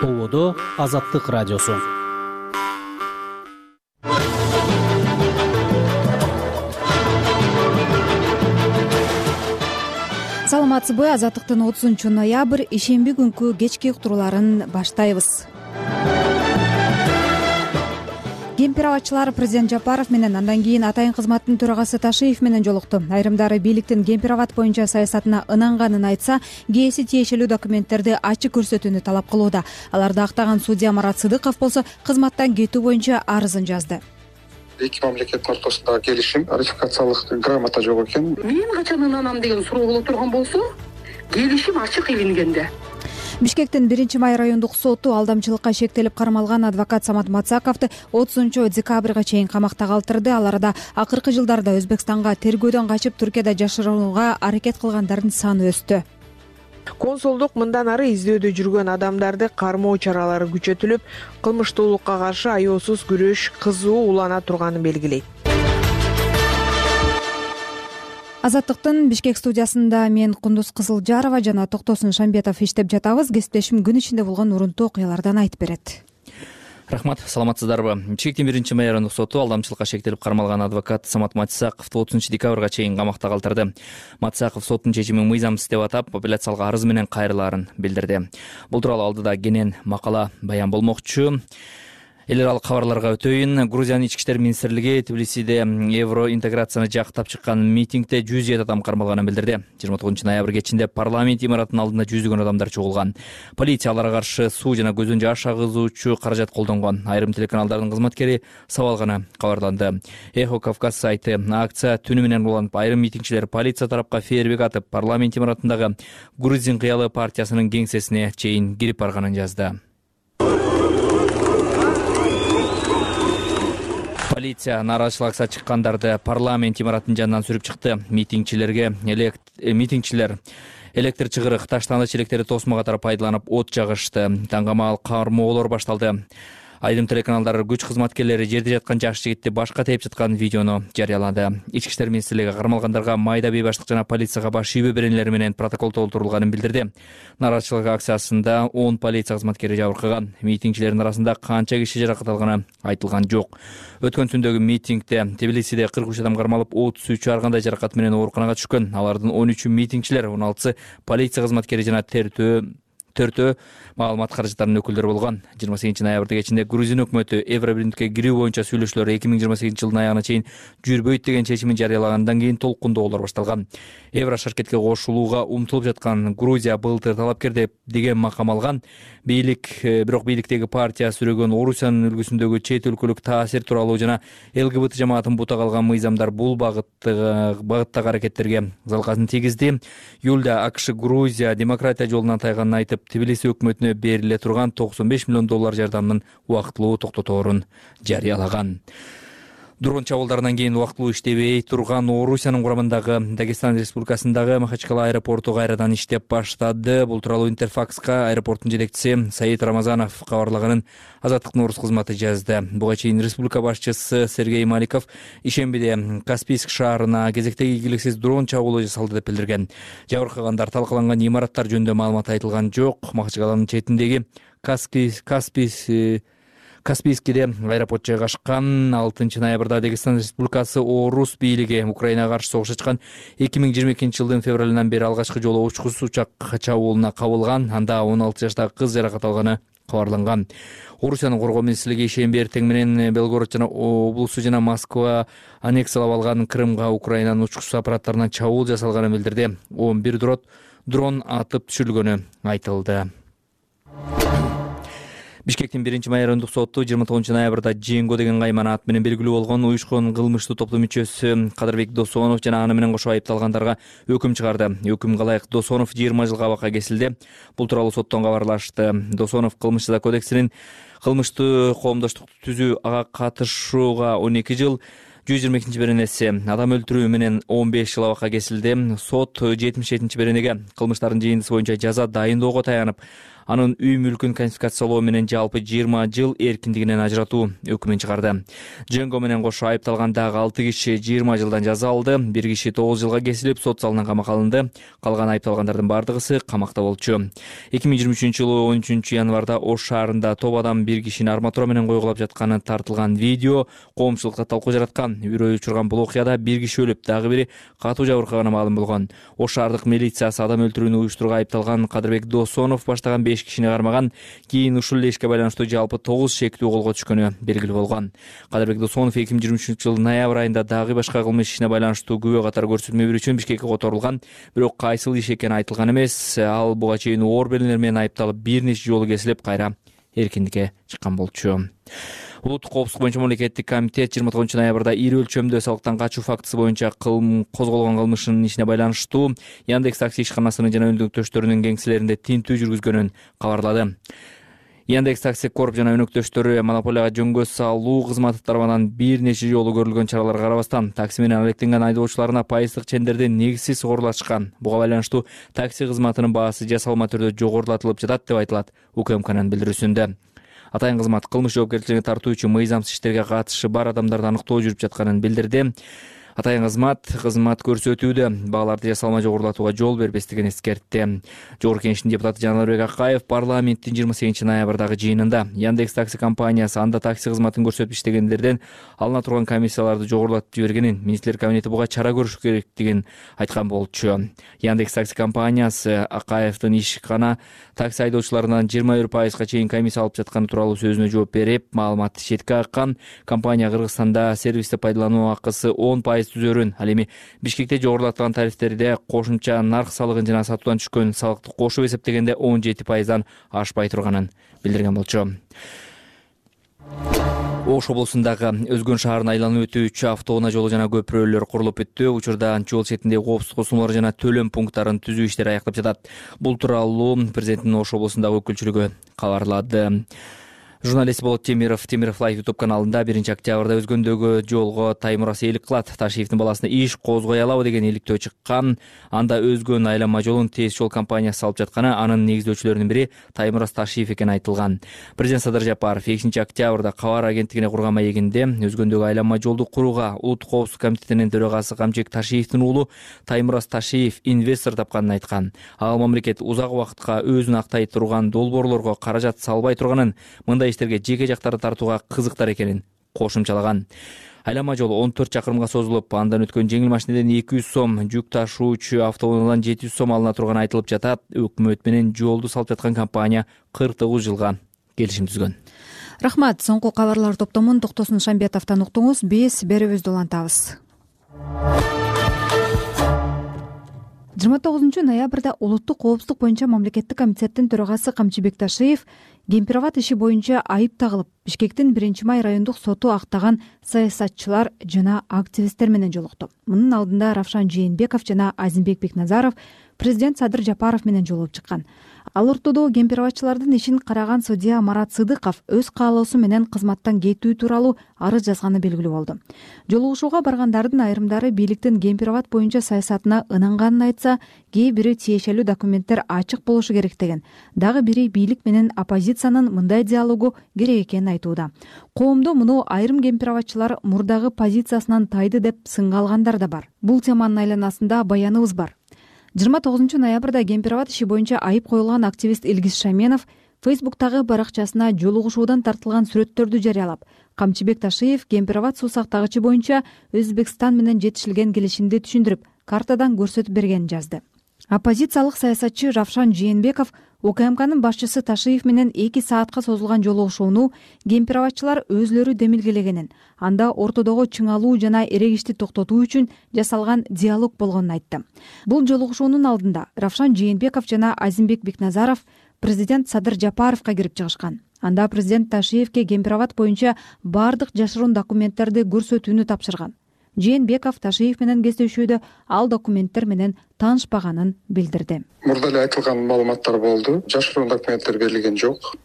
Ободо Азаттык радиосу. Саламатсызбы? Азаттыктын 30-ноябрь ишемби күнкү кечки уктурууларын баштайбыз. Кемпир-абадчылар президент Жапаров менен андан кийин атайын кызматтын төрагасы Ташиев менен жолукту. Айрымдары бийликтин кемпир-абад боюнча саясатына ынанганын айтса, кээси тиешелүү документтерди ачык көрсөтүүнү талап кылууда. Аларды актаган судья Марат Сыдыков болсо кызматтан кетүү боюнча арызын жазды. Эки мамлекеттин ортосундагы келишим, ратификациялык грамота жок экен. Мен качан ынанам деген суроо боло турган болсо, келишим ачык илингенде. Бишкектин 1-Май райондук соту алдамчылыкка шектелип кармалган адвокат Самат Мацаковду 30-декабрга чейин камакта калтырды. Ал арада акыркы жылдарда Өзбекстанга тергөөдөн качып Түркияда жашырууга аракет кылгандардын саны өстү. Консулдук мындан ары издөөдө жүргөн адамдарды кармоо чаралары күчөтүлүп, кылмыштуулукка каршы аеосуз күрөш кызуу улана турганын белгилейт. Азаттыктын Бишкек студиясында мен Кундуз Кызылжарова жана Токтосун Шамбетов иштеп жатабыз. Кесиптешим күн ичинде болгон урунтуу окуялардан айтып берет. Рахмат, саламатсыздарбы? Бишкектин 1-Май райондук соту алдамчылыкка шектелип кармалган адвокат Самат Мацаковду 30-декабрга чейин камакта калтырды. Мацаков соттун чечимин мыйзамсыз деп атап, апелляциялык арыз менен кайрылаарын билдирди. Бул тууралуу алдыда кенен макала баян болмокчу. Эл аралык кабарларга өтөйүн. Грузиянын ички иштер министрлиги Тбилисиде евроинтеграцияны жактап чыккан митингде 107 адам кармалганын билдирди. 29-ноябрь кечинде парламент имаратынын алдында жүзүгөн адамдар чогулган. Полиция аларга каршы суу жана көздөн жаш агызуучу каражат колдонгон. Айрым телеканалдардын кызматкери сабалганы кабарланды. Эхо Кавказ сайты акция түнү менен уланып, айрым митингчилер полиция тарапка фейерверк атып, парламент имаратындагы Грузин кыялы партиясынын кеңсесине чейин кирип барганын жазды. Полиция нааразычылык акцияга чыккандарды парламент имаратынын жанынан сүрүп чыкты. Митингчилер электр чыгырык, таштандыч электри тосмо катары пайдаланып от жагышты. Таңгамал кармоолор башталды. Айрым телеканалдар күч кызматкерлери жерде жаткан жаш жигитти башка тээп жаткан видеону жарыялады. Ички иштер министрлиги кармалгандарга майда бейбаштык жана полицияга баш ийүү беренелери менен протокол толтурулганын билдирди. Нааразычылык акциясында 10 полиция кызматкери жабыркаган. Митингчилердин арасында канча киши жаракат алганы айтылган жок. Өткөн түндөгү митингде Тбилисиде 43 адам кармалып, 33 ар кандай жаракат менен ооруканага түшкөн. Алардын 13 митингчилер, 16 полиция кызматкери жана төртөө маалымат каражаттарынын өкүлдөрү болгон. 28-ноябрда кечинде Грузин өкмөтү Евробирликке кирүү боюнча сүйлөшүүлөр 2028 жылдын аягына чейин жүрбөйт деген чечимин жарыялагандан кийин толкундоолор башталган. Евро шаркетке кошулууга умтулуп жаткан Грузия былтыр талапкер деген макам алган. Бирок бийликтеги партия сүрөгөн Орусиянын үлгүсүндөгү чет өлкөлүк таасир тууралуу жана ЛГБТ жамаатын бутак алган мыйзамдар бул багыттагы аракеттерге залказын тийгизди. Июлда АКШ Грузия демократия жолунан тайганын айтып, Тбилиси өкмөтүнө бериле турган $95 миллион жардамдын убактылуу токтоторун жарыялаган. Дрон чабуулдарынан кийин убактылуу иштебей турган Орусиянын курамындагы Дагестан Республикасындагы Махачкала аэропорту кайрадан иштеп баштады. Бул тууралуу Интерфакска аэропорттун жетекчиси Саид Рамазанов кабарлаганын Азаттыктын орус кызматы жазды. Буга чейин республика башчысы Сергей Маликов ишембиде Каспийск шаарына кезектеги ийгиликсиз дрон чабуулу жасалды деп билдирген. Жабыркагандар, талкаланган имараттар жөнүндө маалымат айтылган жок. Махачкаланын четиндеги Каспийскиде аэропорт жайгашкан. 6-ноябрда Дагестан Республикасы орус бийлиги Украинага каршы согуш ачкан 2022 жылдын февралынан бери алгачкы жолу учкусуз учак чабуулуна кабылган. Анда 16 жаштагы кыз жаракат алганы кабарланган. Орусиянын коргоо министрлиги ишемби эртең менен Белгород жана облусу жана Москва аннексиялап алган Крымга Украинанын учкусуз аппараттарынан чабуул жасалганын билдирди. 11 дрон атып түшүрүлгөнү айтылды. Бишкектин 1-Май райондук соту 29-ноябрда Жеңго деген кайман ат менен белгилүү болгон уюшкан кылмыштуу топтун мүчөсү Кадырбек Досонов жана аны менен кошо айыпталгандарга өкүм чыгарды. Өкүмгө ылайык Досонов 20 жылга абакка кесилди. Бул тууралуу соттон кабарлашты. Досонов Кылмыш жаза кодексинин кылмыштуу коомдоштукту түзүү, ага катышууга 12 жыл, 122 беренеси, адам өлтүрүү менен 15 жыл абакка кесилди. Сот 77 беренеге кылмыштардын жыйындысы боюнча жаза дайындоого таянып, анын үй мүлкүн конфискациялоо менен жалпы 20 жыл эркиндигинен ажыратуу өкүмүн чыгарды. Дженго менен кошо айыпталган дагы 6 киши 20 жылдан жаза алды. Бир киши 9 жылга кесилип, сот залынан камакка алынды. Калган айыпталгандардын бардыгысы камакта болчу. 2023-жылы 13 январда Ош шаарында топ адам бир кишини арматура менен койгулап жатканы тартылган видео коомчулукта талкуу жараткан. Үрөй учурган бул окуяда бир киши өлүп, дагы бири катуу жабыркаганы маалым болгон. Ош шаардык милициясы адам өлтүрүүнү уюштурууга айыпталган Кадырбек Досонов баштаган 5 кишини кармаган. Кийин ушул эле ишке байланыштуу жалпы 9 шектүү колго түшкөнү белгилүү болгон. Кадырбек Досонов 2023-жылдын ноябрь айында дагы башка кылмыш ишине байланыштуу күбө катары көрсөтмө берүү үчүн Бишкекке которулган. Бирок кайсыл иш экени айтылган эмес. Ал буга чейин оор белгилер менен айыпталып, бир нече жолу кесилип, кайра эркиндикке чыккан болчу. Улуттук коопсуздук боюнча мамлекеттик комитет 29 ноябрда ири өлчөмдө салыктан качуу фактысы боюнча козголгон кылмыштын ишине байланыштуу Яндекс такси ишканасынын жана өнөктөштөрүнүн кеңселеринде тинтүү жүргүзгөнүн кабарлады. Яндекс такси корп жана өнөктөштөрү монополияга жөнгө салуу кызматы тарабынан бир нече жолу көрүлгөн чараларга карабастан такси менен алектенген айдоочуларына пайыздык чендерден негизсиз согурулашкан. Буга байланыштуу такси кызматынын баасы жасалма түрдө жогорулатылып жатат деп айтылат УКМКнын билдирүүсүндө. Атайын кызмат кылмыш жоопкерчилигине тартуу үчүн мыйзамсыз иштерге катышы бар адамдарды аныктоо жүрүп жатканын билдирди. Атайын кызмат көрсөтүүдө бааларды жасалма жогорулатууга жол бербестигин эскертти. Жогорку Кеңештин депутаты Жанарбек Акаев парламенттин 28 ноябрдагы жыйынында Яндекс такси компаниясы анда такси кызматын көрсөтүп иштегендерден алына турган комиссияларды жогорулатып жибергенин, министрлер кабинети буга чара көрүш керектигин айткан болчу. Яндекс такси компаниясы Акаевдин ишкана такси айдоочуларынан 21% чейин комиссия алып жатканы тууралуу сөзүнө жооп берип, маалыматты четке каккан. Компания Кыргызстанда сервисти пайдалануу акысы 10% түзөрүн, ал эми Бишкекте жогорулатылган тарифтерде кошумча нарк салыгын жана сатуудан түшкөн салыкты кошуп эсептегенде 17%дан ашпай турганын билдирген болчу. Ош облусундагы Өзгөн шаарын айланып өтүүчү автоунаа жолу жана көпүрөлөр курулуп бүттү. Учурда жол четиндеги коопсуздук косулмалар жана төлөм пункттарын түзүү иштери аякталып жатат. Бул тууралуу президенттин Ош облусундагы өкүлчүлүгү кабарлады. Журналист Болот Темиров Лайв YouTube каналында 1 октябрда Өзгөндөгү жолго Таймурас ээлик кылат. Ташиевдин баласына иш козгой алабы деген иликтөө чыккан. Анда Өзгөн айланма жолун Тез жол компаниясы алып жатканы, анын негиздөөчүлөрүнүн бири Таймурас Ташиев экени айтылган. Президент Садыр Жапаров 2 октябрда Кабар агенттигине курган маегинде Өзгөндөгү айланма жолду курууга Улуттук коопсуздук комитетинин төрагасы Камчек Ташиевдин уулу Таймурас Ташиев инвестор тапканын айткан. Ал мамлекет узак убакытка өзүн актай турган долбоорлорго каражат салбай турганын, мындай иштерге жеке жактарды тартууга кызыктар экенин кошумчалаган. Айланма жол 14 чакырымга созулуп, андан өткөн жеңил машинеден 200 сом, жүк ташуучу автоунаадан 700 сом алына турганы айтылып жатат. Өкмөт менен жолду салып жаткан компания 49 жылга келишим түзгөн. Рахмат. Соңку кабарлар топтомун Токтосун Шамбетовдон уктуңуз. Биз берүүбүздү улантабыз. 29 ноябрда Улуттук коопсуздук боюнча мамлекеттик комитеттин төрагасы Камчыбек Ташиев Гемпироват иши боюнча айып тагылып, Бишкектин 1-май райондук соту актаган саясатчылар жана активисттер менен жолукту. Мунун алдында Равшан Жээнбеков жана Азимбек Бекназаров президент Садыр Жапаров менен жолугуп чыккан. Ал ортодо гемпироватчылардын ишин караган судья Марат Сыдыков өз каалоосу менен кызматтан кетүү тууралуу арыз жазганы белгилүү болду. Жолугушууга баргандардын айрымдары бийликтин гемпироват боюнча саясатына ынанганын айтса, кээ бири тиешелүү документтер ачык болушу керек деген. Дагы бири бийлик менен оппозициянын мындай диалогу керек экенин айтууда. Коомдо муну айрым гемпироватчылар мурдагы позициясынан тайды деп сынга алгандар да бар. Бул теманын айланасында баяныбыз бар. 29 ноябрда Гемпироват иши боюнча айып коюлган активист Илгиз Шаменов Фейсбуктагы баракчасына жолугушуудан тартылган сүрөттөрдү жарыялап, Камчыбек Ташиев Гемпироват суу сактагычы боюнча Өзбекстан менен жетишилген келишимди түшүндүрүп, картадан көрсөтүп бергенин жазды. Оппозициялык саясатчы Равшан Жээнбеков УКМКнын башчысы Ташиев менен 2 саатка созулган жолугушууну гемпироватчылар өзлөрү демилгелегенин, анда ортодогу чыңалуу жана эрегишти токтотуу үчүн жасалган диалог болгонун айтты. Бул жолугушуунун алдында Равшан Жээнбеков жана Азимбек Бекназаров президент Садыр Жапаровго кирип чыгышкан. Анда президент Ташиевке Гемпироват боюнча бардык жашыруун документтерди көрсөтүүнү тапшырган. Жээнбеков Ташиев менен кездешүүдө ал документтер менен таанышпаганын билдирди. Мурда эле айтылган маалыматтар болду. Жашыруун документтер берилген жок.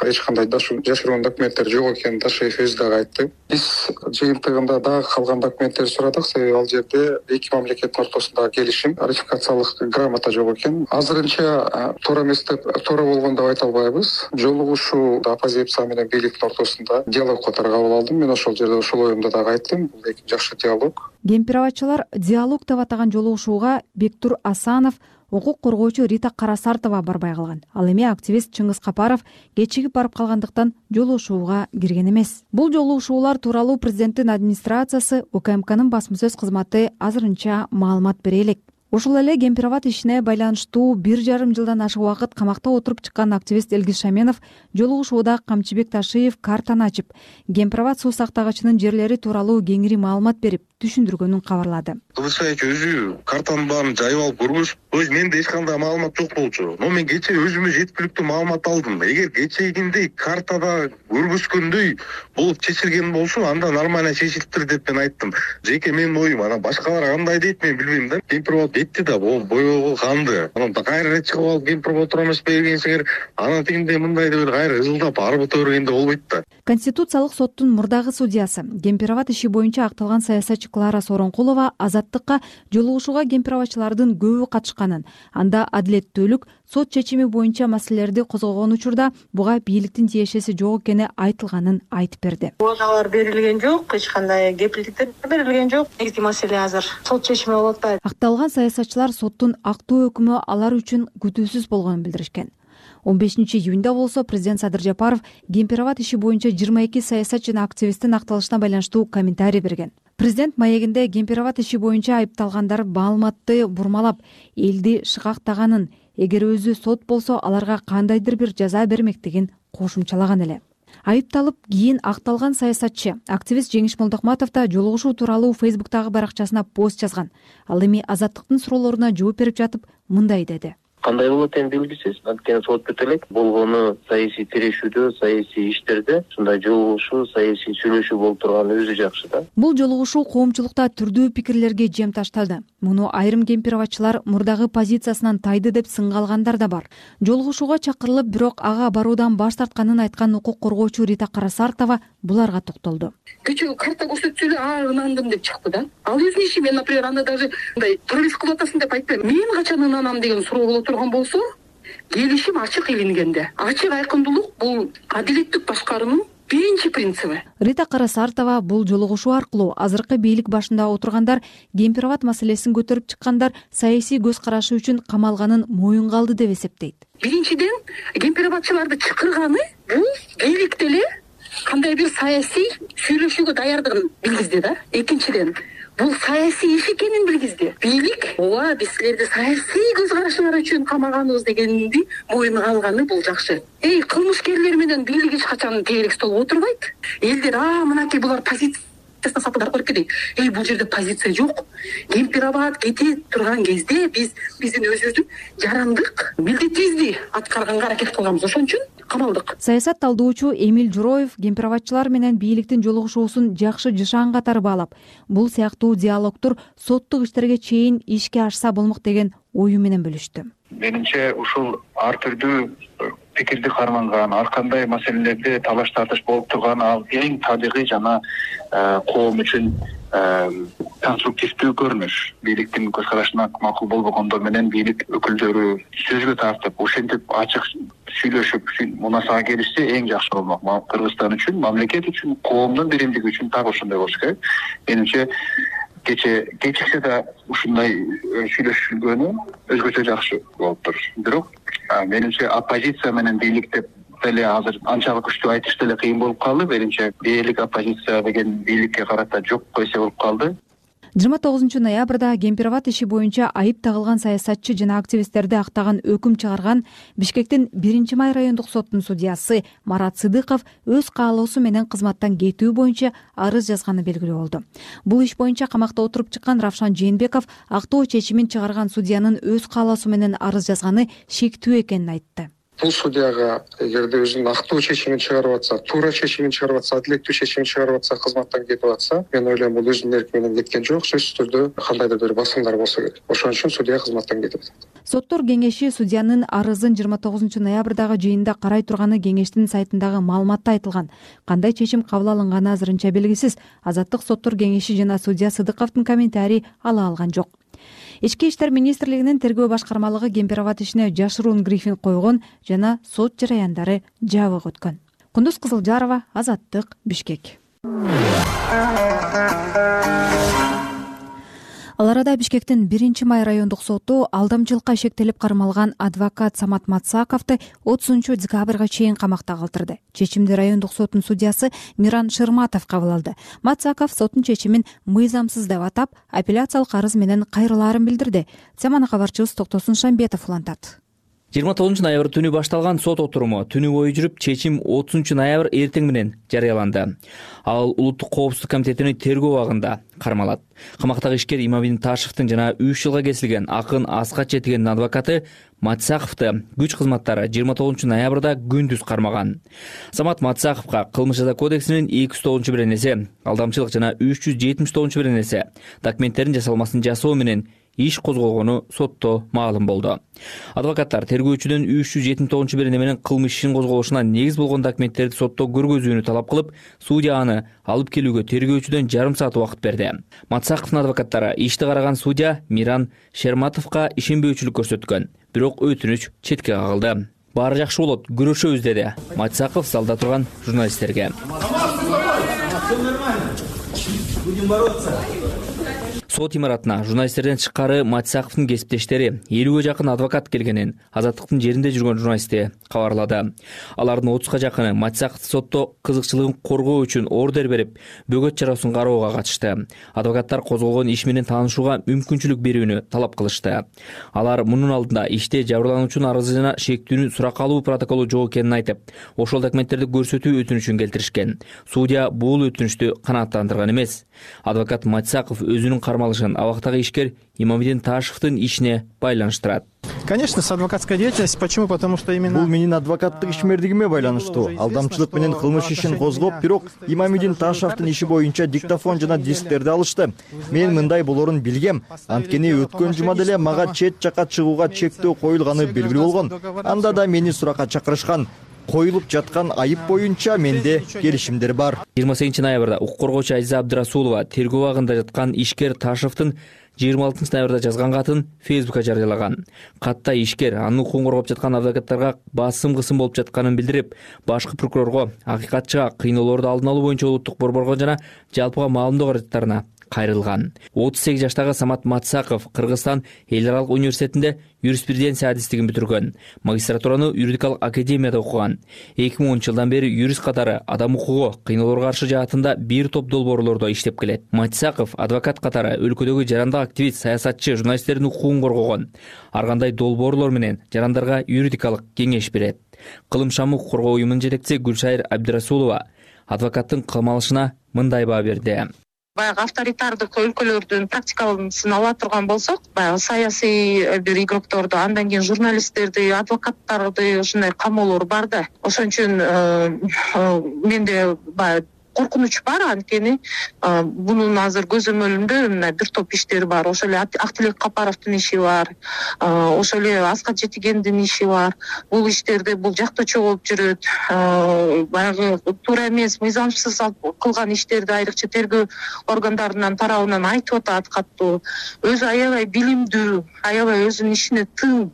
эч кандай жашыруун документтер жок экенин Ташиев өзү дагы айтты. Биз жыйынтыгында дагы калган документтерди сурадык, себеби ал жерде эки мамлекеттин ортосундагы келишим, ратификациялык грамота жок экен. Азырынча туура эмес деп, туура болгон деп айта албайбыз. Жолугушуу оппозиция менен бийликтин ортосунда диалог катары кабыл алдым. Мен ошол жерде ошол оюмду дагы айттым. Бул жакшы диалог. Гемпирабатчылар диалог деп атаган жолугушууга Бектур Асанов, укук коргоочу Рита Карасартова барбай калган. Ал эми активист Чыңгыз Капаров кечигип барып калгандыктан жолугушууга кирген эмес. Бул жолугушуулар тууралуу президенттин администрациясы, УКМКнын басма сөз кызматы азырынча маалымат бере элек. Ошол эле Гемпирабад ишине байланыштуу 1,5 жылдан ашык убакыт камакта отуруп чыккан активист Элгиз Шаменов жолугушууда Камчыбек Ташиев картаны ачып, Гемпирабад суу сактагычынын жерлери тууралуу кеңири маалымат берип, түшүндүргөнүн кабарлады. Кылычбаев өзү картанын баарын жайып алып көргөз, менде эч кандай маалымат жок болчу. Но мен кечээ өзүмө жеткиликтүү маалымат алдым. Эгер кечегиндей картада көргөзгөндөй болуп чечилген болсо, анда нормально чечилиптир деп мен айттым. Жеке менин оюм. Анан башкалар кандай дейт мен билбейм да. Гемпирабад кетти да, боёгу канды. Анан кайра чыгып алып Гемпирабад тура эмес бергенсиңер, анан тигиндей мындай деп кайра ызылдап арбыта бергенде болбойт да. Конституциялык соттун мурдагы судьясы, Гемпирабад иши боюнча акталган саясатчы Клара Сооронкулова Азаттыкка жолугушууга гемпирабатчылардын көбү катышканын, анда адилеттүүлүк, сот чечими боюнча маселелерди козгогон учурда буга бийликтин тиешеси жок экени айтылганын айтып берди. Убадалар берилген жок, эч кандай кепилдиктер берилген жок. Негизги маселе азыр сот чечими болуп атпайбы? Акталган саясатчылар соттун актуу өкүмү алар үчүн күтүүсүз болгонун билдиришкен. 15-июнда болсо президент Садыр Жапаров Гемпирабад иши боюнча 22 саясатчы жана активисттин акталышына байланыштуу комментарий берген. Президент маегинде Гемпирабад иши боюнча айыпталгандар маалыматты бурмалап, элди шыкактаганын, эгер өзү сот болсо аларга кандайдыр бир жаза бермектигин кошумчалаган эле. Айыпталып кийин акталган саясатчы, активист Жеңиш Молдокматов да жолугушуу тууралуу Фейсбуктагы баракчасына пост жазган. Ал эми Азаттыктын суроолоруна жооп берип жатып мындай деди. Кандай болот эми белгисиз. Анткени сот бүт элек. Болгону саясий тирешүүдө, саясий иштерде ушундай жолугушуу, саясий сүйлөшүү болуп турганы өзү жакшы да. Бул жолугушуу коомчулукта түрдүү пикирлерге жем таштады. Муну айрым гемпирабатчылар мурдагы позициясынан тайды деп сынга алгандар да бар. Жолугушууга чакырылып, бирок ага баруудан баш тартканын айткан укук коргоочу Рита Карасартова буларга токтолду. Кечээ карта көрсөтсө эле ынандым деп чыкты да. Ал өзүнүн иши, мен, например, аны даже мындай туралист кылып атасың деп айтпайм. Мен качан ынанам деген суроо боло турган болсо, келишим ачык илингенде. Ачык айкындуулук бул адилеттик башкаруунун биринчи принциби. Рита Карасартова бул жолугушуу аркылуу азыркы бийлик башында отургандар, Гемпирабад маселесин көтөрүп чыккандар саясий көз карашы үчүн камалганын моюнга алды деп эсептейт. Биринчиден, гемпирабатчыларды чакырганы бул бийликте эле кандай бир саясий сүйлөшүүгө даярдыгын билгизди да. Экинчиден, бул саясий иш экенин билгизди. Бийлик, ооба, биз силерди саясий көз карашыңар үчүн камаганбыз дегенди моюнга алганы бул жакшы. Кылмышкерлер менен бийлик эч качан тейлик столго отурбайт. Элдер, мынакей булар позициясына сатылдар көрүп кетейик. Бул жерде позиция жок. Гемпирабад кете турган кезде биздин өзүбүздүн жарандык милдетибизди аткарганга аракет кылганбыз. Ошон үчүн камалдык. Саясат талдоочу Эмиль Журоев гемпирабатчылар менен бийликтин жолугушуусун жакшы жышаан катары баалап, бул сыяктуу диалогдор соттук иштерге чейин ишке ашса болмок деген ою менен бөлүштү. Менимче ушул ар түрдүү пикирди карманган, ар кандай маселелерде талаш тартыш болуп турган, ал эң табигый жана коом үчүн конструктивдүү көрүнүш. Бийликтин көз карашына макул болбогондор менен бийлик өкүлдөрү сөзгө тартып, ошентип ачык сүйлөшүп, мунасага келишсе эң жакшы болмок. Кыргызстан үчүн, мамлекет үчүн, коомдун биримдиги үчүн так ошондой болуш керек. Менимче кечиксе да ушундай сүйлөшүлгөнү өзгөчө жакшы болуптур. Бирок менимче оппозиция менен бийлик деп деле азыр анчалык күчтүү айтыш деле кыйын болуп калды. Менимче дээрлик оппозиция деген бийликке карата жок койсо болуп калды. 29 ноябрда Гемпирабад иши боюнча айып тагылган саясатчы жана активисттерди актаган өкүм чыгарган Бишкектин 1-май райондук соттун судьясы Марат Сыдыков өз каалоосу менен кызматтан кетүү боюнча арыз жазганы белгилүү болду. Бул иш боюнча камакта отуруп чыккан Равшан Жээнбеков актоо чечимин чыгарган судьянын өз каалоосу менен арыз жазганы шектүү экенин айтты. бул судьяга эгерде өзүнүн актуу чечимин чыгарып атса, туура чечимин чыгарып атса, адилеттүү чечимин чыгарып атса, кызматтан кетип атса, мен ойлойм бул өзүнүн эрки менен кеткен жок, сөзсүз түрдө кандайдыр бир басымдар болсо керек. Ошон үчүн судья кызматтан кетип атат. Соттор кеңеши судьянын арызын 29 ноябрдагы жыйында карай турганы кеңештин сайтындагы маалыматта айтылган. Кандай чечим кабыл алынганы азырынча белгисиз. Азаттык соттор кеңеши жана судья Сыдыковдун комментарий ала алган жок. Ички иштер министрлигинин тергөө башкармалыгы Кемпирабад ишине жашыруун брифинг койгон жана сот жараяндары жабык өткөн. Кундуз Кызылжарова, Азаттык, Бишкек. Ал арада Бишкектин 1-май райондук соту алдамчылыкка шектелип кармалган адвокат Самат Мацаковду 30 декабрга чейин камакта калтырды. Чечимди райондук соттун судьясы Миран Шырматов кабыл алды. Мацаков соттун чечимин мыйзамсыз деп атап, апелляциялык арыз менен кайрылаарын билдирди. Теманы кабарчыбыз Токтосун Шамбетов улантат. 29 ноябрь түнү башталган сот отуруму түнү бою жүрүп, чечим 30 ноябрь эртең менен жарыяланды. Ал Улуттук коопсуздук комитетинин тергөө абагында кармалат. Камактагы ишкер Имамидин Ташевдин жана 3 жылга кесилген акын Аскат Четигендин адвокаты Мацаковду күч кызматтары 29 ноябрда күндүз кармаган. Самат Мацаковго кылмыш жаза кодексинин 209-беренеси, алдамчылык жана 379-беренеси документтердин жасалмасын жасоо менен иш козголгону сотто маалым болду. Адвокаттар тергөөчүдөн 379-берене менен кылмыш ишин козголушуна негиз болгон документтерди сотто көргөзүүнү талап кылып, судья аны алып келүүгө тергөөчүдөн жарым саат убакыт берди. Мацаковдун адвокаттары ишти караган судья Миран Шерматовго ишенбөөчүлүк көрсөткөн, бирок өтүнүч четке кагылды. Баары жакшы болот, күрөшөбүз деди Мацаков залда турган журналисттерге. Сот имаратына журналисттерден тышкары Мацаковдун кесиптештери 50ге жакын адвокат келгенин Азаттыктын жеринде жүргөн журналисти кабарлады. Алардын 30га жакыны Мацаковду сотто кызыкчылыгын коргоо үчүн ордер берип, бөгөт чарасын кароого катышты. Адвокаттар козголгон иш менен таанышууга мүмкүнчүлүк берүүнү талап кылышты. Алар мунун алдында иште жабырлануучунун арызы жана шектүүнүн сурак алуу протоколу жок экенин айтып, ошол документтерди көрсөтүү өтүнүчүн келтиришкен. Судья бул өтүнүчтү канааттандырган эмес. Адвокат Мацаков өзүнүн кармалышын абактагы ишкер Имамидин Ташевдин ишине байланыштырат. Конечно, с адвокатской деятельностью. Почему? Потому что именно... Бул менин адвокаттык ишмердигиме байланыштуу. Алдамчылык менен кылмыш ишин козгоп, бирок Имамидин Ташевдин иши боюнча диктофон жана дисктерди алышты. Мен мындай болорун билгем. Анткени өткөн жума деле мага чет жака чыгууга чектөө коюлганы белгилүү болгон. Анда да мени суракка чакырышкан. Коюлуп жаткан айып боюнча менде келишимдер бар. 28 ноябрда укук коргоочу Азиза Абдырасулова тергөө абагында жаткан ишкер Ташевдин 26 ноябрда жазган катын Фейсбукка жарыялаган. Катта ишкер анын укугун коргоп жаткан адвокаттарга басым-кысым болуп жатканын билдирип, башкы прокурорго, акыйкатчыга кыйноолорду алдын алуу боюнча улуттук борборго жана жалпыга маалымдоо каражаттарына кайрылган. 38 жаштагы Самат Мацаков Кыргызстан эл аралык университетинде юриспруденция адистигин бүтүргөн. Магистратураны юридикалык академияда окуган. 2010 жылдан бери юрист катары адам укугу, кыйноолорго каршы жаатында бир топ долбоорлордо иштеп келет. Мацаков адвокат катары өлкөдөгү жарандык активист, саясатчы, журналисттердин укугун коргогон. Ар кандай долбоорлор менен жарандарга юридикалык кеңеш берет. Кылым шамы укук коргоо уюмунун жетекчиси Гүлшайыр Абдырасулова адвокаттын кылмалышына мындай баа берди. Баягы авторитардык өлкөлөрдүн практикасын ала турган болсок, баягы саясий бир игрокторду, андан кийин журналисттерди, адвокаттарды ушундай камоолор бар да. Ошон үчүн менде баягы коркунуч бар, анткени бунун азыр көзөмөлүндө мына бир топ иштер бар. Ошол эле Актилек Капаровдун иши бар, ошол эле Аскат Четигендин иши бар. Бул иштерде бул жактоочу болуп жүрөт. Баягы туура эмес, мыйзамсыз кылган иштерди айрыкча тергөө органдарынын тарабынан айтып атат каттуу. Өзү аябай билимдүү, аябай өзүнүн ишине тың,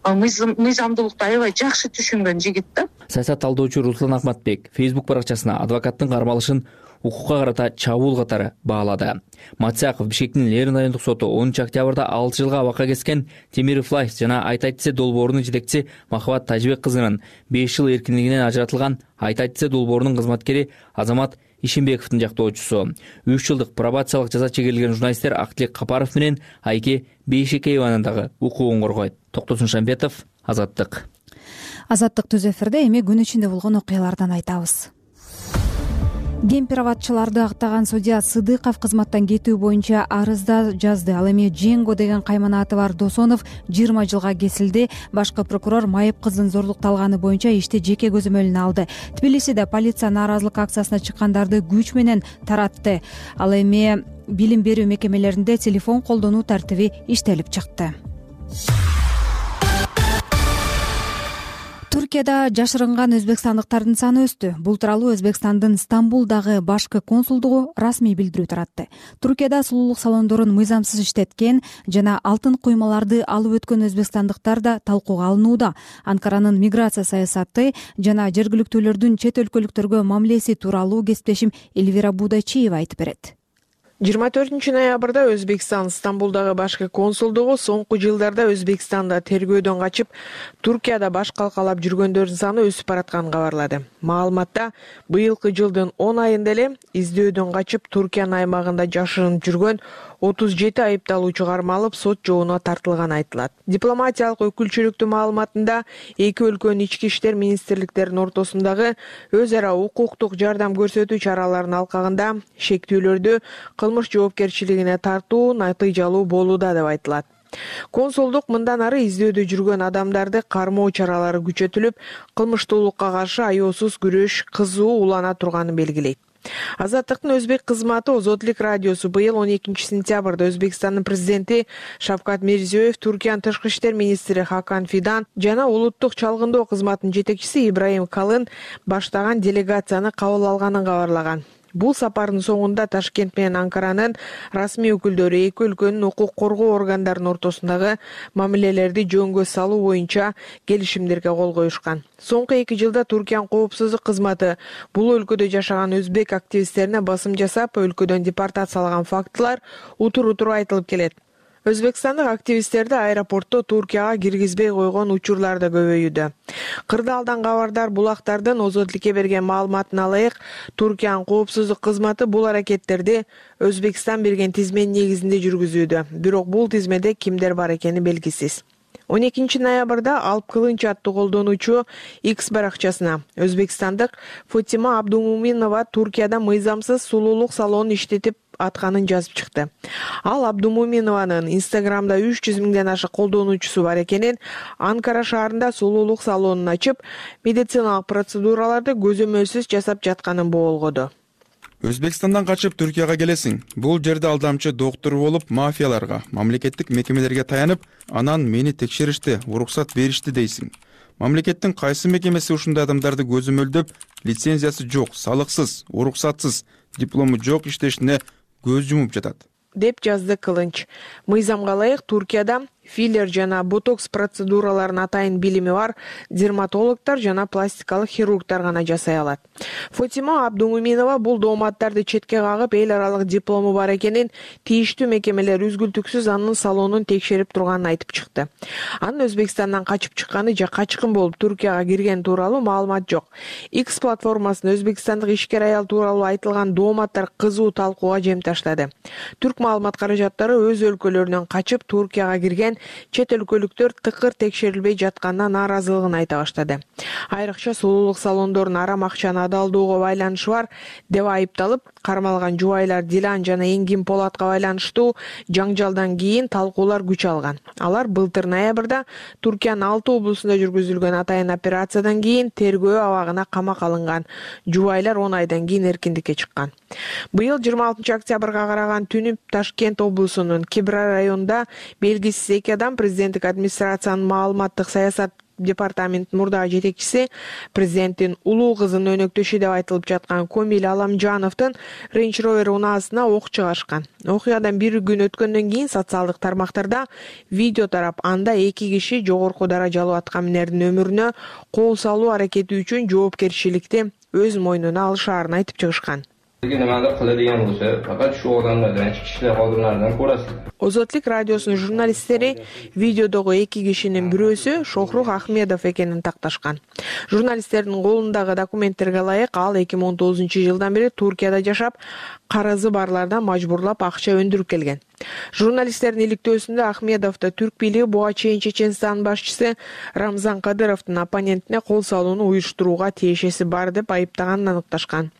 мыйзамдуулукту аябай жакшы түшүнгөн жигит да. Саясат талдоочу Руслан Акматбек Facebook баракчасына адвокаттын кармалышын укукка карата чабуул катары баалады. Мацаков Бишкектин Лерин райондук соту 10 октябрда 6 жылга абакка кескен Темиров Лайф жана Айтайтсе долбоорунун жетекчиси Махабат Тажибек кызынын 5 жыл эркиндигинен ажыратылган Айтайтсе долбоорунун кызматкери Азамат Ишимбековдун жактоочусу. 3 жылдык пробациялык жаза чегерилген журналисттер Актилек Капаров менен Айке Бейшекееванын дагы укугун коргойт. Токтосун Шамбетов, Азаттык. Азаттык түз эфирде эми күн ичинде болгон окуялардан айтабыз. Гемпироватчыларды актаган судья Сыдыков кызматтан кетүү боюнча арызда жазды. Ал эми Женго деген каймана аты бар Досонов 20 жылга кесилди. Башкы прокурор майып кыздын зордукталганы боюнча ишти жеке көзөмөлүнө алды. Тбилисиде полиция нааразылык акциясына чыккандарды күч менен таратты. Ал эми билим берүү мекемелеринде телефон колдонуу тартиби иштелип чыкты. Туркияда жашырынган өзбекстандыктардын саны өстү. Бул тууралуу Өзбекстандын Стамбулдагы башкы консулдугу расмий билдирүү таратты. Туркияда сулуулук салондорун мыйзамсыз иштеткен жана алтын куймаларды алып өткөн өзбекстандыктар да талкууга алынууда. Анкаранын миграция саясаты жана жергиликтүүлөрдүн чет өлкөлүктөргө мамилеси тууралуу кесиптешим Эльвира Будайчиева айтып берет. 24 ноябрда Өзбекстан Стамбулдагы башкы консулдугу соңку жылдарда Өзбекстанда тергөөдөн качып, Туркияда баш калкалап жүргөндөрдүн саны өсүп баратканын кабарлады. Маалыматта быйылкы жылдын 10 айында эле издөөдөн качып Туркиянын аймагында жашырынып жүргөн 37 айыпталуучу кармалып, сот жообуна тартылганы айтылат. Дипломатиялык өкүлчүлүктүн маалыматында эки өлкөнүн ички иштер министрликтеринин ортосундагы өз ара укуктук жардам көрсөтүү чараларынын алкагында шектүүлөрдү кылмыш жоопкерчилигине тартуу натыйжалуу болууда деп айтылат. Консулдук мындан ары издөөдө жүргөн адамдарды кармоо чаралары күчөтүлүп, кылмыштуулукка каршы аеосуз күрөш кызуу улана турганын белгилейт. Азаттыктын өзбек кызматы Озотлук радиосу быйыл 12 сентябрда Өзбекстандын президенти Шавкат Мирзиёев, Туркиянын тышкы иштер министри Хакан Фидан жана улуттук чалгындоо кызматынын жетекчиси Ибраим Калын баштаган делегацияны кабыл алганын кабарлаган. Бул сапардын соңунда Ташкент менен Анкаранын расмий өкүлдөрү эки өлкөнүн укук коргоо органдарынын ортосундагы мамилелерди жөнгө салуу боюнча келишимдерге кол коюшкан. Соңку 2 жылда Туркиянын коопсуздук кызматы бул өлкөдө жашаган өзбек активисттерине басым жасап, өлкөдөн депортациялаган фактылар утур-утур айтылып келет. Өзбекстандык активисттерди аэропортто Туркияга киргизбей койгон учурлар да көбөйүүдө. Кырдаалдан кабардар булактардын Озотлукке берген маалыматына ылайык, Туркиянын коопсуздук кызматы бул аракеттерди Өзбекстан берген тизменин негизинде жүргүзүүдө. Бирок бул тизмеде кимдер бар экени белгисиз. 12 ноябрда Алп Кылынч аттуу колдонуучу X баракчасына Өзбекстандык Фатима Абдумуминова Туркияда мыйзамсыз сулуулук салонун иштетип атканын жазып чыкты. Ал Абдумуминованын Инстаграмда 300 миңден ашык колдонуучусу бар экенин, Анкара шаарында сулуулук салонун ачып, медициналык процедураларды көзөмөлсүз жасап жатканын боолгоду. Өзбекстандан качып Түркияга келесиң. Бул жерде алдамчы доктор болуп, мафияларга, мамлекеттик мекемелерге таянып, анан мени текшеришти, уруксат беришти дейсиң. Мамлекеттин кайсы мекемеси ушундай адамдарды көзөмөлдөп, лицензиясы жок, салыксыз, уруксатсыз, диплому жок иштешине көз жумуп жатат, деп жазды Кылынч. Мыйзамга ылайык Туркияда филлер жана ботокс процедураларын атайын билими бар дерматологдор жана пластикалык хирургдар гана жасай алат. Фатима Абдумуминова бул дооматтарды четке кагып, эл аралык диплому бар экенин, тийиштүү мекемелер үзгүлтүксүз анын салонун текшерип турганын айтып чыкты. Анын Өзбекстандан качып чыкканы же качкын болуп Туркияга кирген тууралуу маалымат жок. X платформасында өзбекстандык ишкер аял тууралуу айтылган дооматтар кызуу талкууга жем таштады. Түрк маалымат каражаттары өз өлкөлөрүнөн качып Туркияга кирген чет өлкөлүктөр тыкыр текшерилбей жатканына нааразылыгын айта баштады. Айрыкча сулуулук салондорунун арам акчаны адалдоого байланышы бар деп айыпталып, кармалган жубайлар Дилан жана Энгин Полатка байланыштуу жаңжалдан кийин талкуулар күч алган. Алар былтыр ноябрда Туркиянын 6 облусунда жүргүзүлгөн атайын операциядан кийин тергөө абагына камак алынган. Жубайлар 10 айдан кийин эркиндикке чыккан. Быйыл 26 октябрга караган түнү Ташкент облусунун Кибра районунда белгисиз эки адам президенттик администрациянын маалыматтык саясат департаментинин мурдагы жетекчиси, президенттин улуу кызынын өнөктөшү деп айтылып жаткан Комил Аламжановдун Range Rover унаасына ок чыгарышкан. Окуядан бир күн өткөндөн кийин социалдык тармактарда видео тарап, анда эки киши жогорку даражалуу аткаминердин өмүрүнө кол салуу аракети үчүн жоопкерчиликти өз мойнуна алышаарын айтып чыгышкан. Nimadir qiladigan bo'lsa, faqat shu odamlardan, ichki ishlar xodimlaridan ko'rasizlar. Озотлук радиосунун журналисттери видеодогу эки кишинин бирөөсү Шохрух Ахмедов экенин такташкан. Журналисттердин колундагы документтерге ылайык ал 2019-жылдан бери Туркияда жашап, карызы барлардан мажбурлап акча өндүрүп келген. Журналисттердин иликтөөсүндө Ахмедовду түрк бийлиги буга чейин Чеченстандын башчысы Рамзан Кадыровдун оппонентине кол салууну уюштурууга тиешеси бар деп айыптаганын аныкташкан.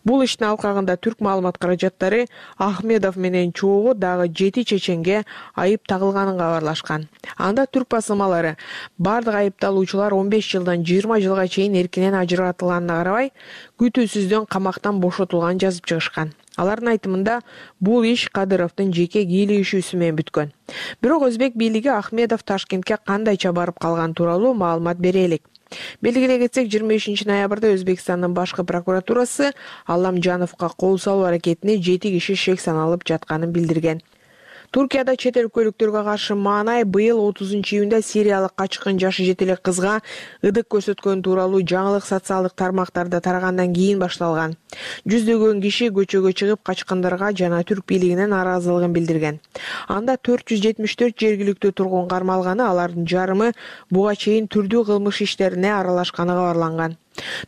Бул иштин алкагында түрк маалымат каражаттары Ахмедов менен чогуу дагы 7 чеченге айып тагылганын кабарлашкан. Анда түрк басылмалары бардык айыпталуучулар 15 жылдан 20 жылга чейин эркинен ажыратылганына карабай, күтүүсүздөн камактан бошотулганын жазып чыгышкан. Алардын айтымында бул иш Кадыровдун жеке кийлигишүүсү менен бүткөн. Бирок өзбек бийлиги Ахмедов Ташкентке кандайча барып калган тууралуу маалымат бере элек. Белгилей кетсек, 25-ноябрда Өзбекстандын башкы прокуратурасы Алламжановго кол салуу аракетине 7 киши шек саналып жатканын билдирген. Туркияда чет өлкөлүктөргө каршы маанай быйыл 30-июнда сириялык качкын жашы жетелек кызга ыдык көрсөткөн тууралуу жаңылык социалдык тармактарда тарагандан кийин башталган. Жүздөгөн киши көчөгө чыгып качкындарга жана түрк бийлигине нааразылыгын билдирген. Анда 474 жергиликтүү тургун кармалганы, алардын жарымы буга чейин түрдүү кылмыш иштерине аралашканы кабарланган.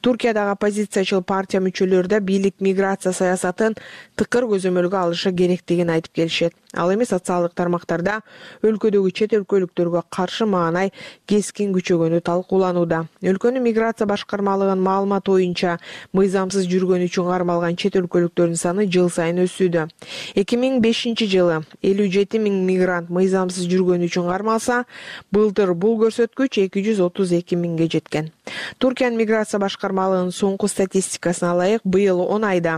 Туркиядагы оппозициячыл партия мүчөлөрү да бийлик миграция саясатын тыкыр көзөмөлгө алышы керектигин айтып келишет. Ал эми социалдык тармактарда өлкөдөгү чет өлкөлүктөргө каршы маанай кескин күчөгөнү талкууланууда. Өлкөнүн миграция башкармалыгынын маалыматы боюнча, мыйзамсыз жүргөн үчүн кармалган чет өлкөлүктөрдүн саны жыл сайын өсүүдө. 2005-жылы 57 000 мигрант мыйзамсыз жүргөн үчүн кармалса, былтыр бул көрсөткүч 232 000ге жеткен. Туркиянын миграция башкармалыгынын соңку статистикасына ылайык, быйыл 10 айда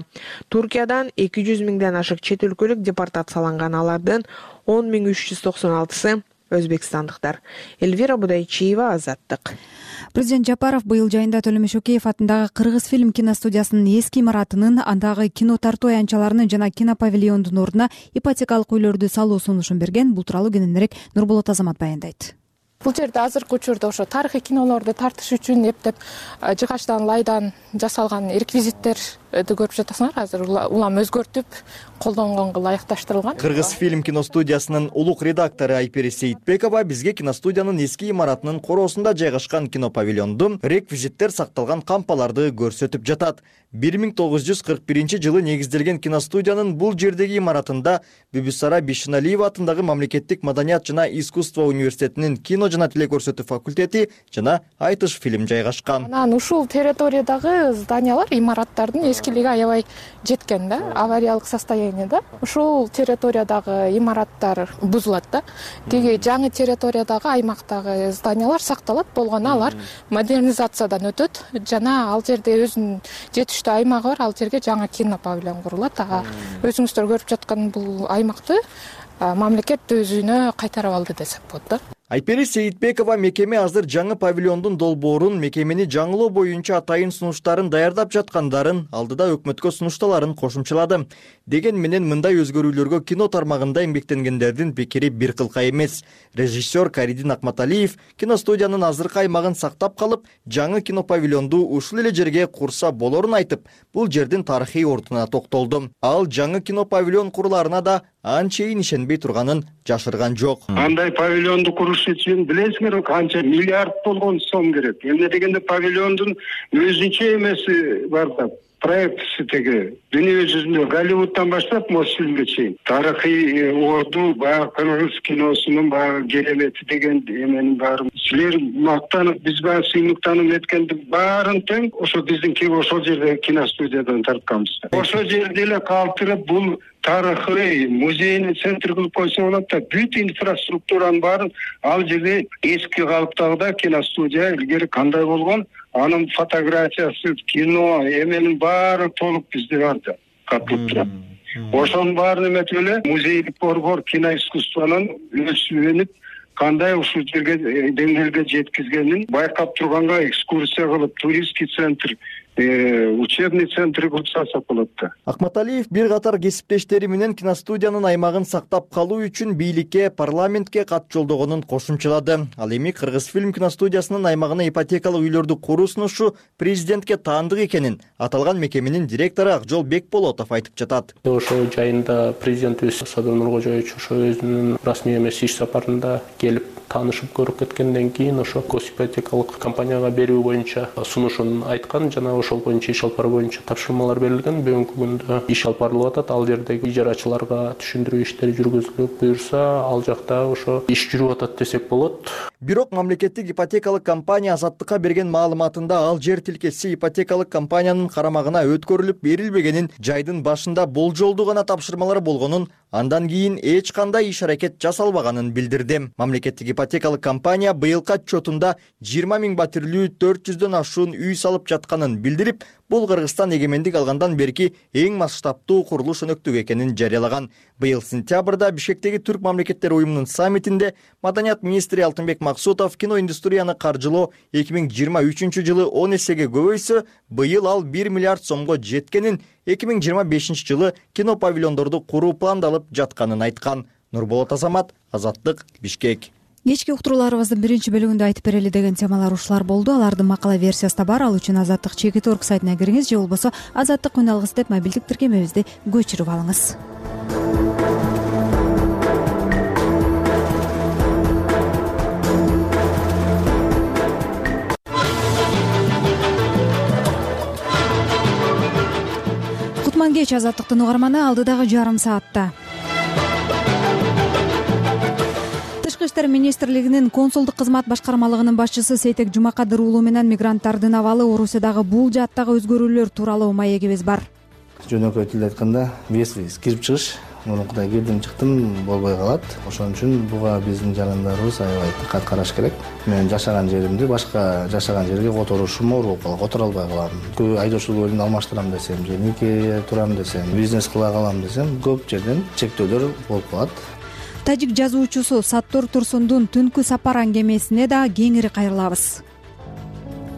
Туркиядан 200 000ден ашык чет өлкөлүк депортацияланган. Алардын 10 396-сы өзбекстандыктар. Эльвира Будайчиева, Азаттык. Президент Жапаров быйыл жайында Төлөм Шөкеев атындагы Кыргыз фильм киностудиясынын эски имаратынын, андагы кино тартуу аянтчаларынын жана кинопавильондун ордуна ипотекалык үйлөрдү салуу сунушун берген. Бул тууралуу кененирээк Нурболот Азамат баяндайт. Бул жерде азыркы учурда ошо тарыхый кинолорду тартыш үчүн эптеп жыгачтан, лайдан жасалган реквизиттерди көрүп жатасыңар. Азыр улам өзгөртүп, колдонгонго ылайыкташтырылган. Кыргыз фильм киностудиясынын улук редактору Айпери Сейитбекова бизге киностудиянын эски имаратынын короосунда жайгашкан кинопавильондун реквизиттер сакталган кампаларды көрсөтүп жатат. 1941-жылы негизделген киностудиянын бул жердеги имаратында Бүбүсара Бишиналиева атындагы Мамлекеттик маданият жана искусство университетинин кино жана телекөрсөтүү факультети жана айтыш фильм жайгашкан. Анан ушул территориядагы зданиялар, имараттардын эскилиги аябай жеткен да, авариялык состояниеда. Ушул территориядагы имараттар бузулат да. Тиги жаңы территориядагы аймактагы зданиялар сакталат, болгону алар модернизациядан өтөт жана ал жерде өзүнүн жетиштүү аймагы бар, ал жерге жаңы кинопавильон курулат. Ага өзүңүздөр көрүп жаткан бул аймакты мамлекет өзүнө кайтарып алды десек болот да. Айпери Сейитбекова мекеме азыр жаңы павильондун долбоорун, мекемени жаңылоо боюнча атайын сунуштарын даярдап жаткандарын, алдыда өкмөткө сунушталарын кошумчалады. Деген менен мындай өзгөрүүлөргө кино тармагында эмгектенгендердин пикири бир кылка эмес. Режиссер Каридин Акматалиев киностудиянын азыркы аймагын сактап калып, жаңы кинопавильонду ушул эле жерге курса болорун айтып, бул жердин тарыхый ордуна токтолду. Ал жаңы кинопавильон куруларына да анчейин ишенбей турганын жашырган жок. Андай павильонду куруш үчүн билесиңер канча миллиард болгон сом керек. Эмне дегенде павильондун өзүнчө эмеси бар да. Проектisi теги дүйнө жүзүндө Голливудтан баштап Мосфильмге чейин тарыхый орду, баягы кыргыз киносунун баягы керемети деген эменин баарын силер мактанып, биз баягы сыймыктанып эткендин баарын тең ошо биздин ошол жерде киностудиядан тартканбыз. Ошол жерде эле калтырып бул тарыхый музейный центр кылып койсо болот да, бүт инфраструктуранын баарын ал жерде эски калыптагыда киностудия илгери кандай болгон, анын фотографиясы, кино, эменин баары толук бизде бар да, катылып турат. Ошонун баарын эметип эле музейлик борбор киноискусствонун өсүп кандай ушул жерге деңгээлге жеткизгенин байкап турганга экскурсия кылып, туристский центр учебный центр курсасак болот да. Акматалиев бир катар кесиптештери менен киностудиянын аймагын сактап калуу үчүн бийликке, парламентке кат жолдогонун кошумчалады. Ал эми Кыргызфильм киностудиясынын аймагына ипотекалык үйлөрдү куруу сунушу президентке таандык экенин аталган мекеменин директору Акжол Бекболотов айтып жатат. Ошо жайында президентибиз Садыр Нуркожоевич ошо өзүнүн расмий эмес иш сапарында келип таанышып көрүп кеткенден кийин ошо госипотекалык компанияга берүү боюнча сунушун айткан жана ошол боюнча иш алып баруу боюнча тапшырмалар берилген. Бүгүнкү күндө иш алып барылып атат. Ал жердеги ижарачыларга түшүндүрүү иштери жүргүзүлүп, буюрса ал жакта ошо иш жүрүп атат десек болот. Бирок мамлекеттик ипотекалык компания Азаттыкка берген маалыматында ал жер тилкеси ипотекалык компаниянын карамагына өткөрүлүп берилбегенин, жайдын башында болжолдуу гана тапшырмалар болгонун, андан кийин эч кандай иш-аракет жасалбаганын билдирди. Мамлекеттик ипотекалык компания быйылкы отчетунда 20 000 батирлүү 400дөн ашуун үй салып жатканын билдирип, бул Кыргызстан эгемендик алгандан берки эң масштабтуу курулуш өнөктүгү экенин жарыялаган. Быйыл сентябрда Бишкектеги Түрк мамлекеттери уюмунун саммитинде маданият министри Алтынбек Максутов киноиндустрияны каржылоо 2023 жылы 10 эсеге көбөйсө, быйыл ал 1 миллиард сомго жеткенин, 2025 жылы кино павильондорду куруу пландалып жатканын айткан. Нурболот Азамат, Азаттык, Бишкек. Кечки уктурууларыбыздын биринчи бөлүгүндө айтып берели деген темалар ушулар болду. Алардын макала версиясы да бар. Ал үчүн Азаттык Чекит.орг сайтына кириңиз же болбосо Азаттык үн алгыс деп мобилдик тиркемебизди көчүрүп алыңыз. Кутман кеч Азаттыктын угарманы алдыдагы жарым саатта. Тышкы иштер министрлигинин консулдук кызмат башкармалыгынын башчысы Сейтек Жумакадыр уулу менен мигранттардын абалы, Орусиядагы бул жааттагы өзгөрүүлөр тууралуу маегибиз бар. Жөнөкөй тилде айтканда, вес кирип чыгыш, мурункудай кирдим чыктым болбой калат. Ошон үчүн буга биздин жарандарыбыз аябай диккат караш керек. Мен жашаган жеримди башка жашаган жерге которушум оор болуп калат, которо албай калам. Көбү айдоочулук ордун алмаштырам десем, же нике турам десем, бизнес кыла калам десем, көп жерден чектөөлөр болуп калат. Тажик жазуучусу Саттор Турсундун Түнкү сапар аңгемесине да кеңири кайрылабыз.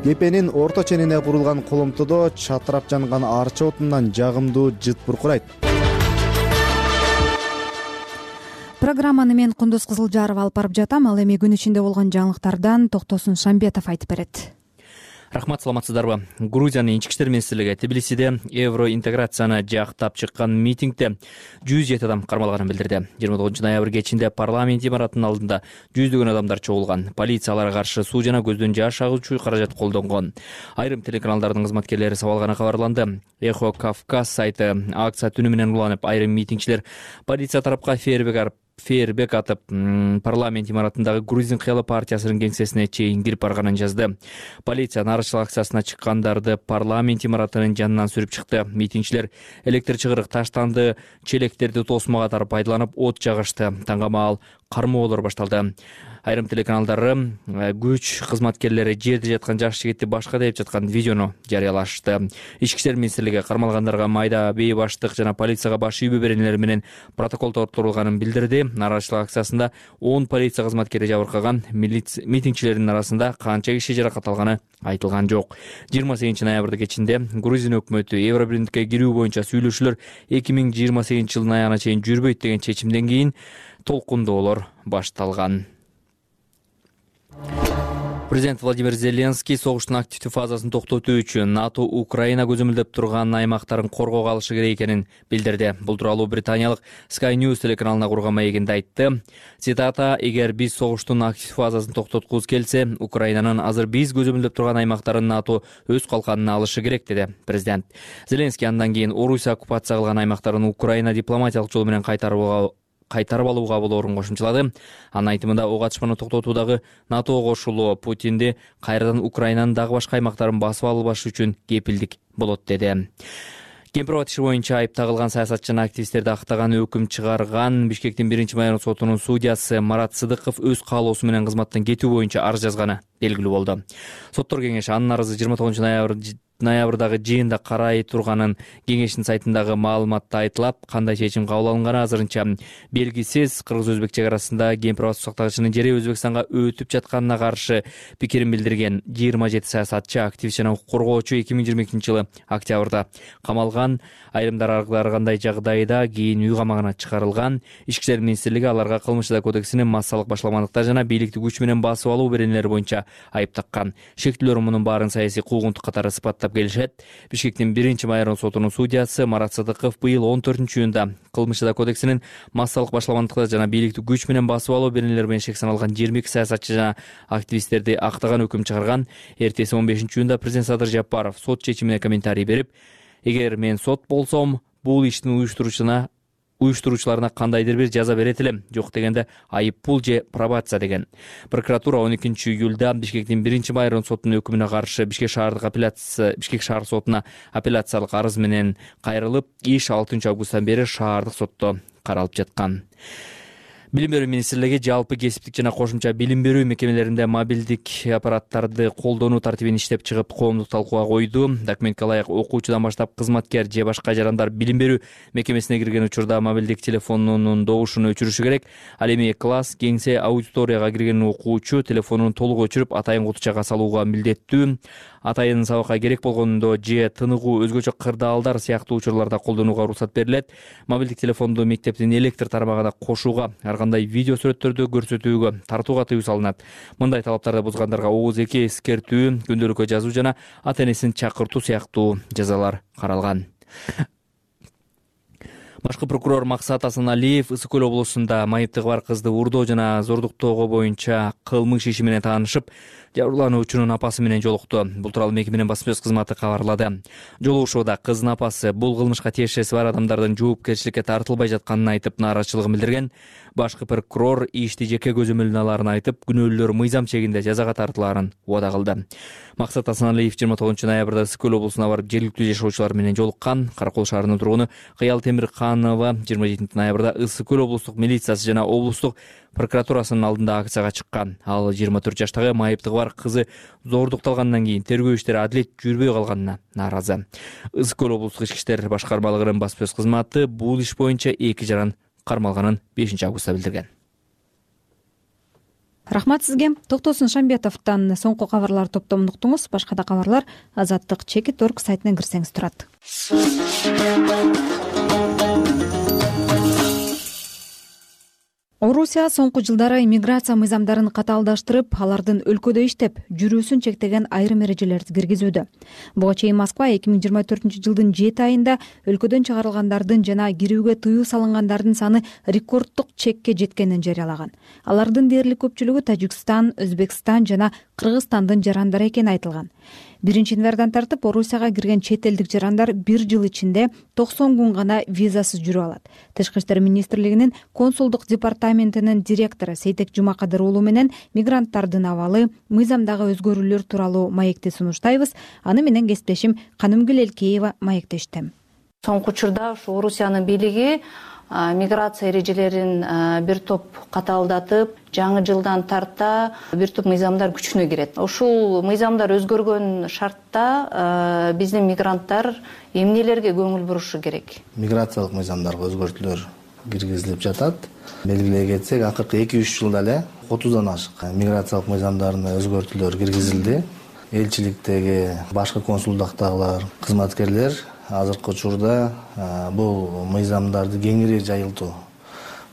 Кепенин орто ченине курулган коломтодо чатырап жанган арча отунан жагымдуу жыт буркурайт. Программаны мен Кундуз Кызылжаров алып барып жатам. Ал эми күн ичинде болгон жаңылыктардан Токтосун Шамбетов айтып берет. Рахмат, саламатсыздарбы? Грузиянын ички иштер министрлиги Тбилисиде евроинтеграцияны жактап чыккан митингде 107 адам кармалганын билдирди. 29 ноябрь кечинде парламент имаратынын алдында жүздөгөн адамдар чогулган. Полиция аларга каршы суу жана көздөн жаш агуучу каражат колдонгон. Айрым телеканалдардын кызматкерлери сабалганы кабарланды. Эхо Кавказ сайты акция түнү менен уланып, айрым митингчилер полиция тарапка фейербек атып, парламент имаратындагы Грузин кыялы партиясынын кеңсесине чейин кирип барганын жазды. Полиция нарушчулук акциясына чыккандарды парламент имаратынын жанынан сүрүп чыкты. Митингчилер электр чыгырык, таштанды, челектерди тосмо катары пайдаланып от жагышты. Таңгамаал кармоолор башталды. Айрым телеканалдары күч кызматкерлери жерде жаткан жаш жигитти башка деп жаткан видеону жарыялашты. Ички иштер министрлиги кармалгандарга майда бей баштык жана полицияга баш ийүү беренелер менен протокол толтурулганын билдирди. Нарушчулук акциясында 10 полиция кызматкери жабыркаган. Митингчилердин арасында канча киши жаракат алганы айтылган жок. 28 ноябрда кечинде Грузия өкмөтү Евробирликке кирүү боюнча сүйлөшүүлөр 2028 жылдын аягына чейин жүрбөйт деген чечимден кийин толкундоолор башталган. Президент Владимир Зеленский согуштун активдүү фазасын токтотуу үчүн НАТО Украина көзөмөлдөп турган аймактарын коргоого алышы керек экенин билдирди. Бул тууралуу британиялык Sky News телеканалына курган маегинде айтты. Цитата: "Эгер биз согуштун активдүү фазасын токтоткубуз келсе, Украинанын азыр биз көзөмөлдөп турган аймактарын НАТО өз калканына алышы керек", деди президент. Зеленский андан кийин Орусия оккупация кылган аймактарын Украина дипломатиялык жол менен кайтарып алууга болоорун кошумчалады. Анын айтымында ок атышманы токтотуудагы НАТОго кошулуу Путинди кайрадан Украинанын дагы башка аймактарын басып албашы үчүн кепилдик болот, деди. Кемпирабад иши боюнча айып тагылган саясатчы жана активисттерди актаган өкүм чыгарган Бишкектин 1-майор сотунун судьясы Марат Сыдыков өз каалоосу менен кызматтан кетүү боюнча арыз жазганы белгилүү болду. Соттор кеңеши анын арызы 29 ноябрдагы жыйында карай турганын кеңештин сайтындагы маалыматта айтылат. Кандай чечим кабыл алынганы азырынча белгисиз. Кыргыз-өзбек чек арасында Кемпир-Абад суу сактагычынын жери Өзбекстанга өтүп жатканына каршы пикирин билдирген 27 саясатчы, активист жана укук коргоочу 2022-жылы октябрда камалган. Айрымдар ар кандай жагдайда кийин үй камагына чыгарылган. Ички иштер министрлиги аларга кылмыш кодексинин массалык башламандыктар жана бийликти күч менен басып алуу беренелери боюнча айып таккан. Шектүүлөр мунун баарын саясий куугунтук катары сыпаттап келишет. Бишкектин 1-майрон сотунун судьясы Марат Садыков быйыл 14-июнда кылмыш кодексинин массалык башламандыктар жана бийликти күч менен басып алуу беренелери менен шек саналган 22 саясатчы жана активисттерди актаган өкүм чыгарган. Эртеси 15-июнда президент Садыр Жапаров сот чечимине комментарий берип, эгер мен сот болсом, бул иштин уюштуруучуларына кандайдыр бир жаза берет элем, жок дегенде айып пул же пробация деген. Прокуратура 12-июлда Бишкектин 1-майрон сотунун өкүмүнө каршы Бишкек шаар сотуна апелляциялык арыз менен кайрылып, иш 6-августтан бери шаардык сотто каралып жаткан. Билим берүү министрлиги жалпы кесиптик жана кошумча билим берүү мекемелеринде мобилдик аппараттарды колдонуу тартибин иштеп чыгып, коомдук талкууга койду. Документке ылайык окуучудан баштап кызматкер же башка жарандар билим берүү мекемесине кирген учурда мобилдик телефонунун добушун өчүрүшү керек. Ал эми класс, кеңсе, аудиторияга кирген окуучу телефонун толук өчүрүп, атайын кутучага салууга милдеттүү. Атайын сабакка керек болгондо же тыныгуу, өзгөчө кырдаалдар сыяктуу учурларда колдонууга уруксат берилет. Мобилдик телефонду мектептин электр тармагына кошууга, ар кандай видео сүрөттөрдү көрсөтүүгө, тартууга тыюу салынат. Мындай талаптарды бузгандарга ооз-2 эскертүү, күндөлүккө жазуу жана ата-энесин чакыртуу сыяктуу жазалар каралган. Башкы прокурор Максат Асаналиев Ысык Көл облусунда майыптыгы бар кызды уурдоо жана зордуктоого боюнча кылмыш иши менен таанышып, жабырлануучунун апасы менен жолукту. Бул тууралуу мекеменин басма сөз кызматы кабарлады. Жолугушууда кыздын апасы бул кылмышка тиешеси бар адамдардын жоопкерчиликке тартылбай жатканын айтып, нааразычылыгын билдирген. Башкы прокурор ишти жеке көзөмөлүнө алаарын айтып, күнөөлүүлөр мыйзам чегинде жазага тартылаарын убада кылды. Максат Асаналиев 29-ноябрда Ысык Көл облусуна барып жергиликтүү жашоочулар менен жолуккан. Каракол шаарынын тургуну Кыял Темирканова 27-ноябрда Ысык Көл облустук милициясы жана облустук прокуратурасынын алдында акцияга чыккан. Ал 24 жаштагы майыптыгы бар кызы зордукталгандан кийин тергөө иштери адилет жүрбөй калганына нааразы. Ысык Көл облустук ички иштер башкармалыгынын басма сөз кызматы бул иш боюнча 2 жаран кармалганын 5-августта билдирген. Рахмат сизге. Токтосун Шамбетовдон соңку кабарлар топтомун уктуңуз. Башка да кабарлар Азаттык Чекит.орг сайтына кирсеңиз турат. Орусия соңку жылдары иммиграция мыйзамдарын катаалдаштырып, алардын өлкөдө иштеп жүрүүсүн чектеген айрым эрежелерди киргизүүдө. Буга чейин Москва 2024-жылдын 7 айында өлкөдөн чыгарылгандардын жана кирүүгө тыюу салынгандардын саны рекорддук чекке жеткенин жарыялаган. Алардын дээрлик көпчүлүгү Тажикстан, Өзбекстан жана Кыргызстандын жарандары экени айтылган. 1-январдан тартып Орусияга кирген чет элдик жарандар 1 жыл ичинде 90 күн гана визасыз жүрүп алат. Тышкы иштер министрлигинин консулдук департаментинин директору Сейтек Жумакадыр уулу менен мигранттардын абалы, мыйзамдагы өзгөрүүлөр тууралуу маекти сунуштайбыз. Аны менен кесиптешим Канымгүл Элкеева маектешти. Соңку учурда ушу Орусиянын бийлиги миграция эрежелерин бир топ катаалдатып, жаңы жылдан тарта бир топ мыйзамдар күчүнө кирет. Ушул мыйзамдар өзгөргөн шартта биздин мигранттар эмнелерге көңүл бурушу керек? Миграциялык мыйзамдарга өзгөртүүлөр киргизилип жатат. Белгилей кетсек, акыркы 2-3 жылда эле 30дан ашык миграциялык мыйзамдарына өзгөртүүлөр киргизилди. Элчиликтеги башкы консулдуктагылар, кызматкерлер азыркы учурда бул мыйзамдарды кеңири жайылтуу,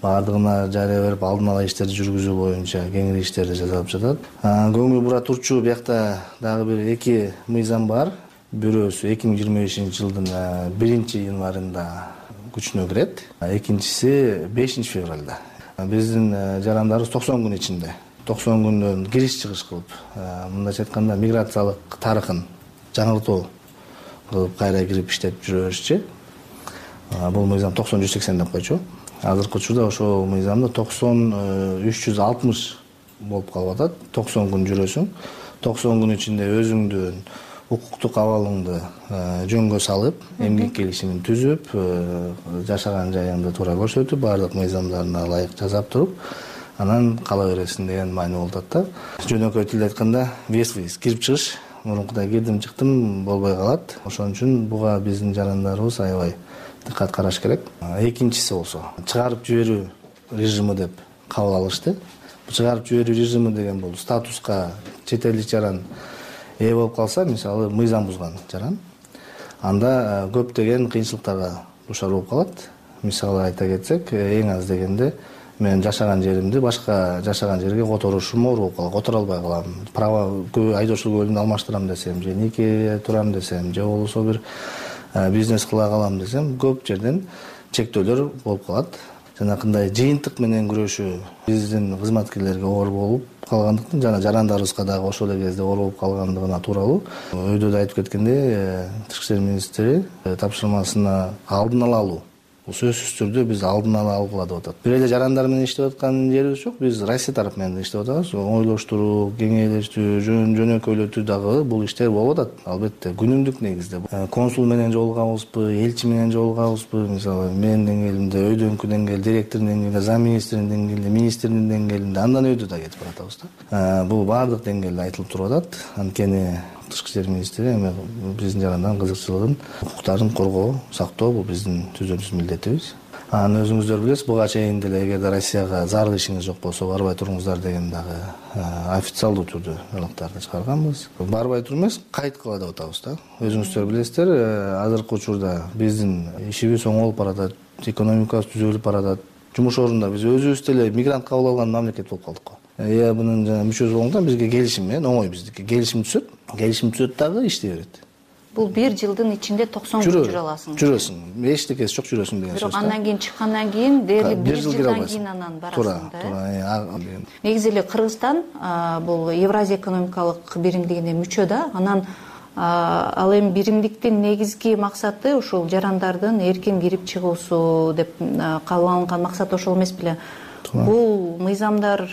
баардыгына жарыя берип, алдын ала иштерди жүргүзүү боюнча кеңири иштерди жасап жатат. Көңүл бура турчу биякта дагы бир 2 мыйзам бар. Бирөөсү 2025-жылдын 1-январында күчүнө кирет, экинчиси 5-февралда. Биздин жарандарыбыз 90 күн ичинде, 90 күндөн кириш-чыгыш кылып, мындайча айтканда миграциялык тарыхын жаңыртуу кылып кайра кирип иштеп жүрө беришчи. Бул мыйзам 90-180 деп койчу. Азыркы учурда ошол мыйзамда 90-360 болуп калып атат. 90 күн жүрөсүң, 90 күн ичинде өзүңдүн укуктук абалыңды жөнгө салып, эмгек келишимин түзүп, жашаган жайыңды туура көрсөтүп, баардык мыйзамдарына ылайык жасап туруп, анан кала бересиң деген маани болуп атат да. Жөнөкөй тилде айтканда, виз кирип чыгыш мурункудай кирдим чыктым болбой калат. Ошон үчүн буга биздин жарандарыбыз аябай диккат караш керек. Экинчиси болсо чыгарып жиберүү режими деп кабыл алышты. Чыгарып жиберүү режими деген бул статуска чет элдик жаран ээ болуп калса, мисалы мыйзам бузган жаран, анда көптөгөн кыйынчылыктарга душар болуп калат. Мисалы айта кетсек, эң аз дегенде мен жашаган жеримди башка жашаган жерге которушум оор болуп калат. Которо албай калам. Права айдоочулук куөлүмдү алмаштырам десем, же нике турам десем, же болбосо бир бизнес кыла калам десем, көп жерден чектөөлөр болуп калат. Жанакындай жыйынтык менен күрөшүү биздин кызматкерлерге оор болуп калгандыктан, жана жарандарыбызга дагы ошол эле кезде оор болуп калгандыгына тууралуу өйдө да айтып кеткендей, Тышкы иштер министри тапшырмасына алдын ала алуу. Бул сөзсүз түрдө биз алдын ала алгыла деп атат. Бир эле жарандар менен иштеп аткан жерибиз жок. Биз Россия тарап менен иштеп атабыз. Ойлоштуруу, кеңейлештүү, жөнөкөйлөтүү дагы бул иштер болуп атат. Албетте күнүмдүк негизде. Консул менен жолугабызбы, элчи менен жолугабызбы, мисалы менин деңгээлимде, өйдөнкү деңгээл, директордун деңгээлинде, зам министрдин деңгээлинде, министрдин деңгээлинде, андан өйдө да кетип баратабыз да. Бул баардык деңгээлде айтылып туруп атат. Анткени Тышкы иштер министри эми биздин жарандардын кызыкчылыгын, укуктарын коргоо, сактоо бул биздин түзөлүнүш милдетибиз. Анан өзүңүздөр билесиз, буга чейин деле эгерде Россияга зарыл ишиңиз жок болсо барбай туруңуздар деген дагы официалдуу түрдө ылыктарды чыгарганбыз. Барбай туруп эмес, кайт кыла деп атабыз да. Өзүңүздөр билесиздер, азыркы учурда биздин ишибиз оңолуп баратат, экономикабыз түзөлүп баратат. Жумуш орунда биз өзүбүз деле мигрант кабыл алган мамлекет болуп калдык го. Мунун жана мүчөсү болгондон бизге келишим менен оңой биздики. Келишим түзөт дагы иштей берет. Бул 1 жылдын ичинде 90 күн жүрө аласың. Жүрөсүң. Эчтекеси жок, жүрөсүң деген сөз. Бирок андан кийин чыккандан кийин дээрлик 1 жылдан кийин анан барасың да. Туура. Негизи эле Кыргызстан бул Евразия экономикалык биримдигине мүчө да. Анан ал эми биримдиктин негизги максаты ушул жарандардын эркин кирип чыгуусу деп кабыл алынган максат ошол эмес беле? Бул мыйзамдар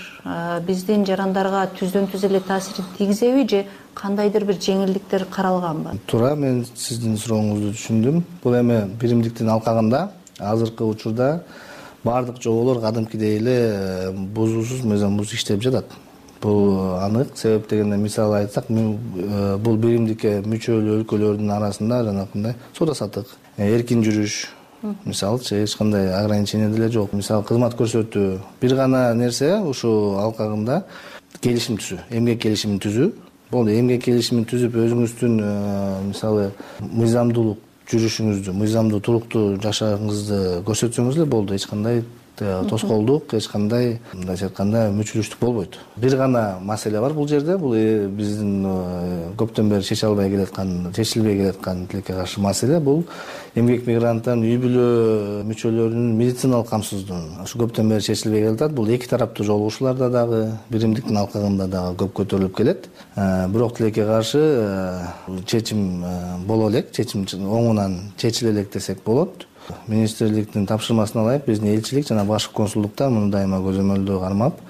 биздин жарандарга түздөн түз эле таасир тийгизеби же кандайдыр бир жеңилдиктер каралганбы? Туура, мен сиздин сурооңузду түшүндүм. Бул эми биримдиктин алкагында азыркы учурда баардык жоболор кадимкидей эле бузуусуз, мыйзамсыз иштеп жатат. Бул анык. Себеп дегенде мисалы айтсак, бул биримдикке мүчөлүү өлкөлөрдүн арасында жанакындай соода-саттык, эркин жүрүш, мисалычы эч кандай ограничение деле жок. Мисалы кызмат көрсөтүү бир гана нерсе ушул алкагында келишим түзүү, эмгек келишимин түзүү. Болду, эмгек келишимин түзүп өзүңүздүн мисалы мыйзамдуулук жүрүшүңүздү, мыйзамдуу туруктуу жашооңузду көрсөтсөңүз эле болду. Эч кандай тоскоолдук, эч кандай мындайча айтканда мүчүлүштүк болбойт. Бир гана маселе бар бул жерде. Бул биздин көптөн бери чечилбей келаткан тилекке каршы маселе. Бул эмгек мигранттардын үй бүлө мүчөлөрүнүн медициналык камсыздыгы. Ушу көптөн бери чечилбей келатат. Бул эки тараптуу жолугушууларда дагы, биримдиктин алкагында дагы көп көтөрүлүп келет. Бирок тилекке каршы чечим боло элек, чечим оңунан чечиле элек десек болот. Министрликтин тапшырмасына ылайык биздин элчилик жана башкы консулдуктар муну дайыма көзөмөлдөө кармап,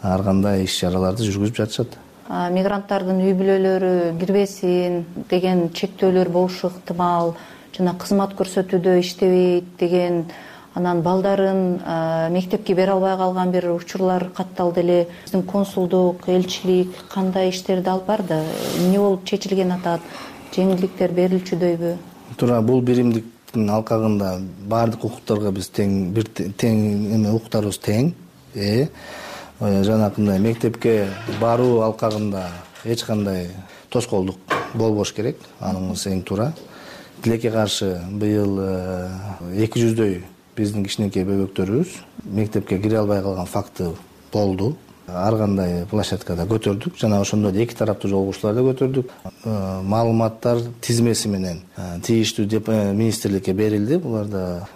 ар кандай иш-чараларды жүргүзүп жатышат. Мигранттардын үй бүлөлөрү кирбесин деген чектөөлөр болушу ыктымал, жана кызмат көрсөтүүдө иштебейт деген, анан балдарын мектепке бере албай калган бир учурлар катталды эле. Биздин консулдук, элчилик кандай иштерди алып барды? Эмне болуп чечилген атат? Жеңилдиктер берилчүдөйбү? Туура, бул биримдик алкагында баардык укуктарга биз тең укуктарыбыз тең. Жанакындай мектепке баруу алкагында эч кандай тоскоолдук болбош керек. Аныңыз эң туура. Тилекке каршы быйыл 200дөй биздин кичинекей бөбөктөрүбүз мектепке кире албай калган факты болду. Ар кандай площадкада көтөрдүк, жана ошондой эле эки тараптуу жолугушууларда көтөрдүк. Маалыматтар тизмеси менен тийиштүү министрликке берилди. Буларда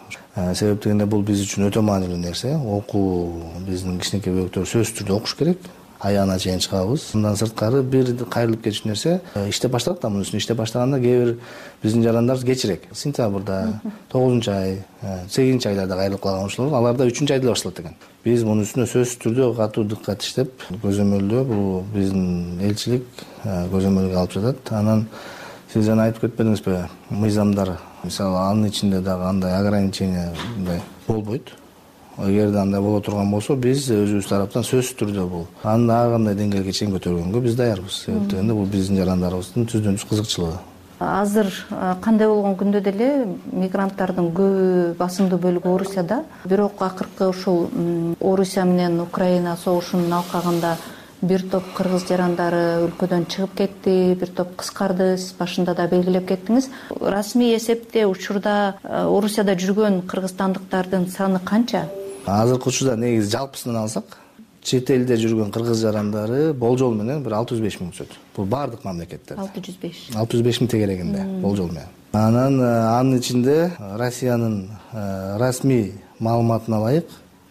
себеп дегенде бул биз үчүн өтө маанилүү нерсе. Окуу биздин кичинекей бөбөктөр сөзсүз түрдө окуш керек. Аягына чейин чыгабыз. Мындан сырткары бир кайрылып кетиш нерсе иштеп баштадык да, мунун үстүнө иштеп баштаганда кээ бир биздин жарандарыбыз кечирээк. Сентябрда, 9-ай, 8-айларда кайрылып калган ушулар, аларда 3-айда башталат экен. Биз мунун үстүнө сөзсүз түрдө катуу диккат иштеп, көзөмөлдөө бул биздин элчилик көзөмөлгө алып жатат. Анан сиз жана айтып кетпедиңизби, мыйзамдар, мисалы анын ичинде дагы андай ограничение болбойт. эгерде андай боло турган болсо биз өзүбүз тараптан сөзсүз түрдө бул аны ар кандай деңгээлге чейин көтөргөнгө биз даярбыз. Себеп дегенде бул биздин жарандарыбыздын түздөн түз кызыкчылыгы. Азыр кандай болгон күндө деле мигранттардын көбү басымдуу бөлүгү Орусияда. Бирок акыркы ушул Орусия менен Украина согушунун алкагында бир топ кыргыз жарандары өлкөдөн чыгып кетти, бир топ кыскарды. Сиз башында да белгилеп кеттиңиз. Расмий эсепте учурда Орусияда жүргөн кыргызстандыктардын саны канча? Азыркы учурда негизи жалпысынан алсак, чет элде жүргөн кыргыз жарандары болжол менен бир 605 миң түшөт. Бул бардык мамлекеттерде. 605 миң тегерегинде болжол менен. Анан анын ичинде Россиянын расмий маалыматына ылайык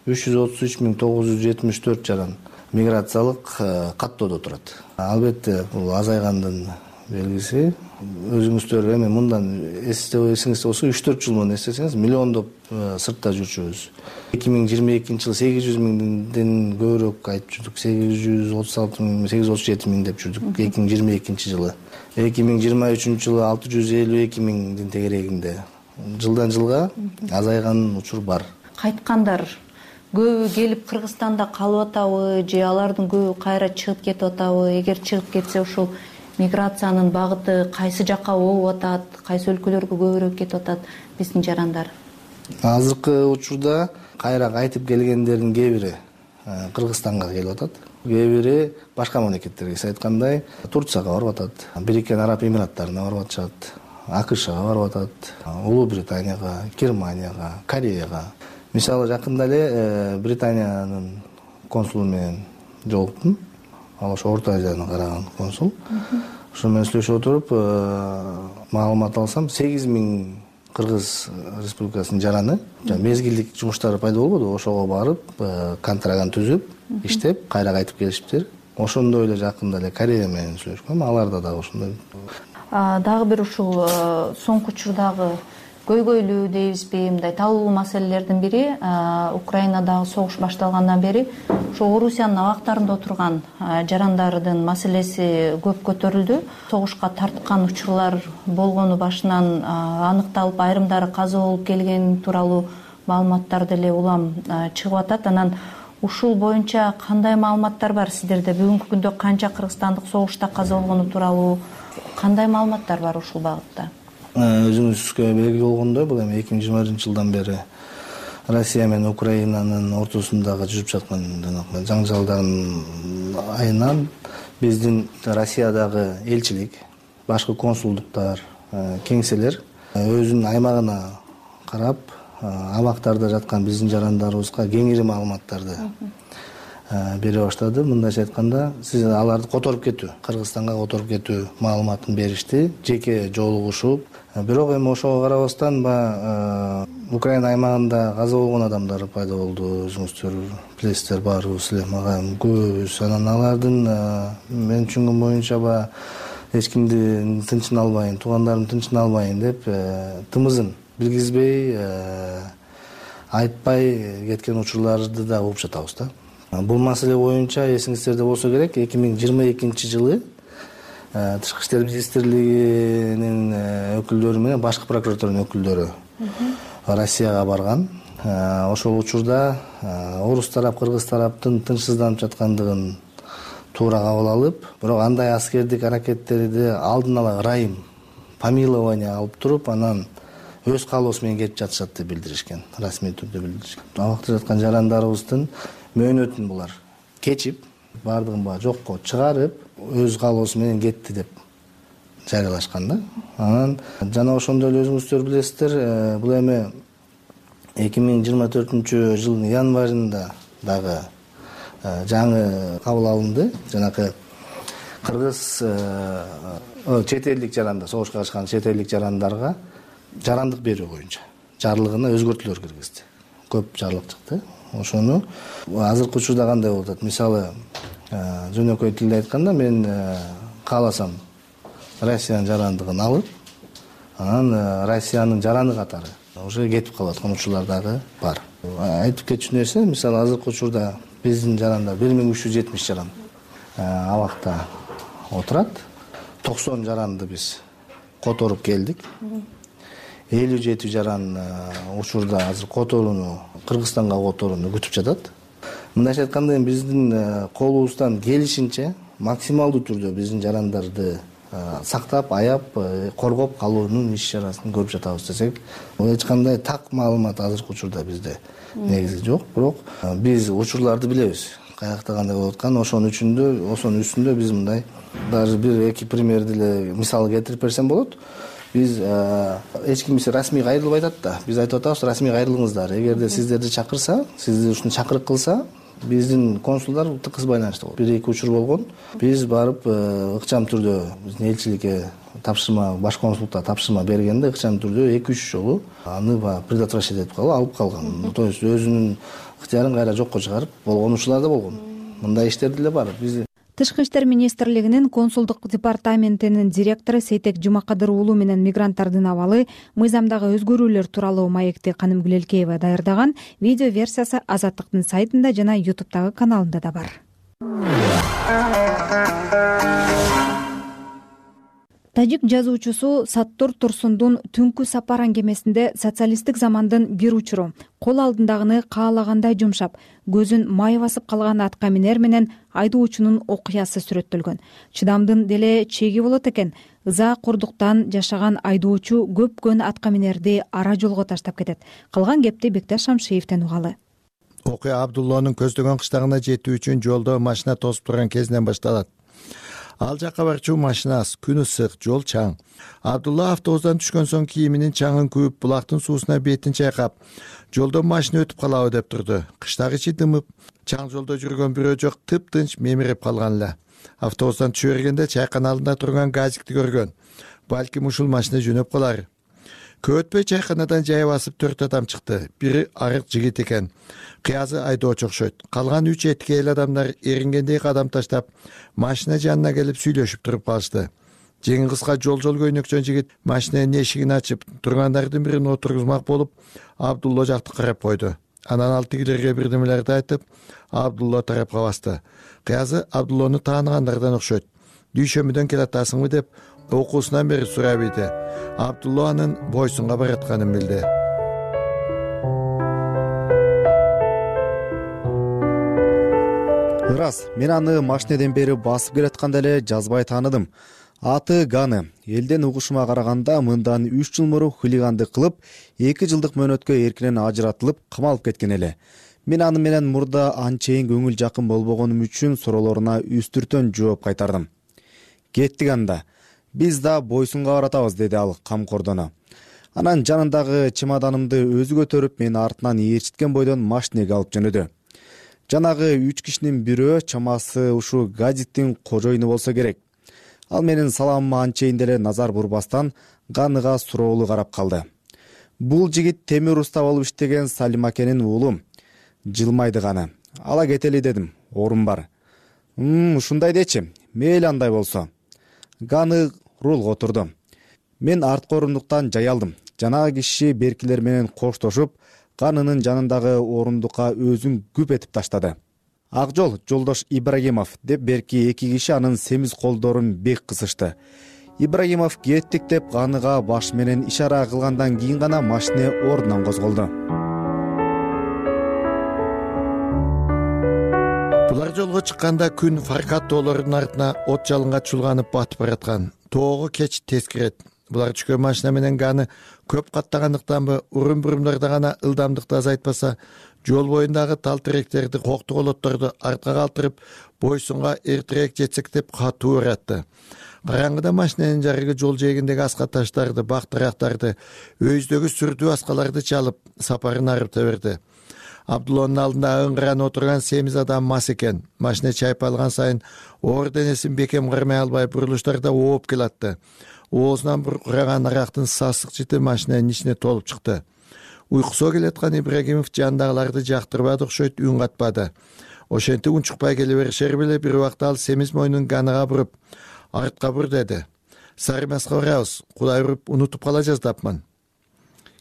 333.974 жаран миграциялык каттоодо турат. Албетте бул азайгандын белгиси. Өзүңүздөр эми мындан эсиңизде болсо 3-4 жыл мурун эстесеңиз миллиондоп сыртта жүрчүбүз. 2022 жылы 800 миңден көбүрөөк айтып жүрдүк. 836 миң, 837 миң деп жүрдүк 2022 жылы. 2023 жылы 652 миңдин тегерегинде. Жылдан жылга азайган учур бар. Кайткандар көбү келип Кыргызстанда калып атабы же алардын көбү кайра чыгып кетип атабы? Эгер чыгып кетсе ушул миграциянын багыты кайсы жакка болуп атат, кайсы өлкөлөргө көбүрөөк кетип атат биздин жарандар? Азыркы учурда кайра кайтып келгендердин кээ бири Кыргызстанга келип атат. Кээ бири башка мамлекеттерге, сиз айткандай, Турцияга барып атат, Бириккен Араб Эмираттарына барып атышат, АКШга барып атат, Улуу Британияга, Германияга, Кореяга. Мисалы жакында эле Британиянын консулу менен жолуктум. Ал ошо Орто Азияны караган консул. Ошо менен сүйлөшүп отуруп, маалымат алсам, 8 миң Кыргыз Республикасынын жараны мезгилдик жумуштары пайда болбоду, ошого барып, контраган түзүп, иштеп, кайра кайтып келишиптир. Ошондой эле жакында эле Корея менен сүйлөшкөм, аларда дагы ошондой. Дагы бир ушул соңку учурдагы көйгөйлүү дейбизби, мындай талуу маселелердин бири Украинадагы согуш башталгандан бери ошо Орусиянын абактарында отурган жарандардын маселеси көп көтөрүлдү. Согушка тарткан учурлар болгону башынан аныкталып, айрымдары каза болуп келген тууралуу маалыматтар деле улам чыгып атат. Анан ушул боюнча кандай маалыматтар бар сиздерде? Бүгүнкү күндө канча кыргызстандык согушта каза болгону тууралуу кандай маалыматтар бар ушул багытта? Өзүңүзгө белгилүү болгондой, бул эми 2021 жылдан бери Россия менен Украинанын ортосундагы жүрүп жаткан жаңжалдардын айынан биздин Россиядагы элчилик, башкы консулдуктар, кеңселер өзүнүн аймагына карап, абактарда жаткан биздин жарандарыбызга кеңири маалыматтарды бере баштады. Мындайча айтканда, сиз аларды которуп кетүү, Кыргызстанга которуп кетүү маалыматын беришти, жеке жолугушуп. Бирок эми ошого карабастан Украина аймагында каза болгон адамдар пайда болду. Өзүңүздөр билесиздер, баарыбыз эле мага көбүбүз. Анан алардын мен түшүнгөн боюнча эч кимди тынчын албайын, туугандарым тынчын албайын деп тымызын билгизбей, айтпай кеткен учурларды да угуп жатабыз да. Бул маселе боюнча эсиңиздерде болсо керек, 2022 жылы Тышкы иштер министрлигинин өкүлдөрү менен башкы прокуратуранын өкүлдөрү Россияга барган. Ошол учурда орус тарап, кыргыз тараптын тынчсызданып жаткандыгын туура кабыл алып, бирок андай аскердик аракеттерди алдын ала ырайым, помилование алып туруп, анан өз каалоосу менен кетип жатышат деп билдиришкен, расмий түрдө билдиришкен. Абакта жаткан жарандарыбыздын мөөнөтүн булар кечип, бардыгын жокко чыгарып, өз каалоосу менен кетти деп жарыялашкан да. Анан жана ошондой эле өзүңүздөр билесиздер, бул эми 2024 жылдын январында дагы жаңы кабыл алынды. Жанакы кыргыз чет элдик жарандар, согушка катышкан чет элдик жарандарга жарандык берүү боюнча жарлыгына өзгөртүүлөр киргизди. Көп жарлык чыкты. Ошону азыркы учурда кандай болуп атат? Мисалы, жөнөкөй тилде айтканда, мен кааласам Россиянын жарандыгын алып, анан Россиянын жараны катары уже кетип калып аткан учурлар дагы бар. Айтып кетчү нерсе, мисалы, азыркы учурда биздин жарандар 1370 жаран абакта отурат. 90 жаранды биз которуп келдик. 57 жаран учурда азыр которууну, Кыргызстанга которууну күтүп жатат. Мындайча айтканда биздин колубуздан келишинче максималдуу түрдө биздин жарандарды сактап, аяп, коргоп калуунун иш чарасын көрүп жатабыз десек, эч кандай так маалымат азыркы учурда бизде негизи жок. Бирок биз учурларды билебиз. Каякта кандай болуп атканын, ошонун үстүндө биз мындай даже бир-эки примерди эле мисал келтирип берсем болот. Биз эч ким бизге расмий кайрылбай атат да. Биз айтып атабыз, расмий кайрылыңыздар. Эгерде сиздерди чакырса, сизди ушуну чакырык кылса, биздин консулдар тыкыз байланышта болот. Бир-эки учур болгон. Биз барып ыкчам түрдө биздин элчиликке тапшырма, баш консулдукта тапшырма бергенде ыкчам түрдө 2-3 жолу аны предотвращать этип алып калган. То есть өзүнүн ыктыярын кайра жокко чыгарып болгон учурлар да болгон. Мындай иштер деле бар. Биз Тышкы иштер министрлигинин консулдук департаментинин директору Сейтек Жумакадыр уулу менен мигранттардын абалы мыйзамдагы өзгөрүүлөр тууралуу маекти Каным Гүлелкеева даярдаган видео версиясы Азаттыктын сайтында жана YouTube'дагы каналында да бар. Тажик жазуучусу Саттор Турсундун Түнкү сапар аңгемесинде социалисттик замандын бир учуру кол алдындагыны каалагандай жумшап, көзүн май басып калган атка минер менен айдоочунун окуясы сүрөттөлгөн. Чыдамдын деле чеги болот экен. Ыза курдуктан жашаган айдоочу көпкөн атка минерди ара жолго таштап кетет. Калган кепти Бекташ Шамшиевден угалы. Окуя Абдуллонун көздөгөн кыштагына жетүү үчүн жолдо машина тосуп турган кезинен башталат. Ал жакка барчу машина аз, күн ысык, жол чаң. Абдулла автобустан түшкөн соң кийиминин чаңын күйүп, булактын суусуна бетин чайкап, жолдон машина өтүп калабы деп турду. Кыштагы ичи дымып, чаң жолдо жүргөн бирөө жок, тыптынч мемирип калган эле. Автобустан түшө бергенде чайкана алдында турган газикти көргөн. Балким ушул машина жөнөп калар. Көп өтпөй чайканадан жай басып 4 адам чыкты. Бири арык жигит экен. Кыязы айдоочу окшойт. Калган 3 эткейл адамдар эрингендей кадам таштап, машина жанына келип сүйлөшүп туруп калышты. Жеңи кыска жол көйнөкчөн жигит машинанын эшигин ачып, тургандардын бирин отургузмак болуп, Абдулла жакты карап койду. Анан ал тигилерге бирдемелерди айтып, Абдулла тарапка басты. Кыязы Абдулланы тааныгандардан окшойт. Дүйшөмүдөн келатасыңбы деп окуусунан бери сурап ийди. Абдулла анын Бойсунга баратканын билди. Ырас, мен аны машинеден бери басып келатканда эле жазбай тааныдым. Аты Ганы. Элден угушума караганда мындан 3 жыл мурун хулигандык кылып, 2 жылдык мөөнөткө эркинен ажыратылып, камалып кеткен эле. Мен аны менен мурда анчейин көңүл жакын болбогонум үчүн суроолоруна үстүртөн жооп кайтардым. Кеттик анда. Биз да Бойсунга баратабыз, деди ал камкордоно. Анан жанындагы чемоданымды өзү көтөрүп, мени артынан ээрчиткен бойдон машинеге алып жөнөдү. Жанагы 3 кишинин бирөө чамасы ушу газиттин кожоюну болсо керек. Ал менин саламыма анчейин деле назар бурбастан Ганыга суроолуу карап калды. Бул жигит темир уста болуп иштеген Салим акенин уулу. Жылмайды Ганы. Ала кетели дедим. Орун бар. Ушундай дечи. Мейли андай болсо. Ганы рулга отурду. Мен арткы орундуктан жай алдым. Жанагы киши беркилер менен коштошуп, Ганынын жанындагы орундукка өзүн күп этип таштады. Ак жол, жолдош Ибрагимов деп берки 2 киши анын семиз колдорун бек кысышты. Ибрагимов кеттик деп Ганыга баш менен ишара кылгандан кийин гана машина ордунан козголду. Булар жолго чыкканда күн Фаркат тоолорунун артына от жалынга чулганып батып бараткан. Тоого кеч тез кирет. Булар түшкөн машина менен Ганы көп каттагандыктанбы, урун-бурумдарда гана ылдамдыкты азайтпаса, жол боюндагы тал теректерди, коктуголотторду артка калтырып, Бойсунга эртерээк жетсек деп катуу уратты. Караңгыда машинанын жарыгы жол жээгиндеги аска таштарды, бактырактарды, өйүздөгү сүрдүү аскаларды чалып, сапарын арыта берди. Абдулланын алдында ыңгыран отурган семиз адам мас экен. Машина чайпалган сайын оор денесин бекем кармай албай бурулуштарда ооп келатты. Оозунан буркураган арактын сасык жити машинанын ичине толуп чыкты. Уйкусу келаткан Ибрагимов жандагыларды жактырбады окшойт, үн катпады. Ошентип унчукпай келе беришери беле бир убакта ал семиз мойнун Ганыга буруп, артка бур деди. Сарымаска барабыз, Кудай уруп унутуп кала жаздапмын.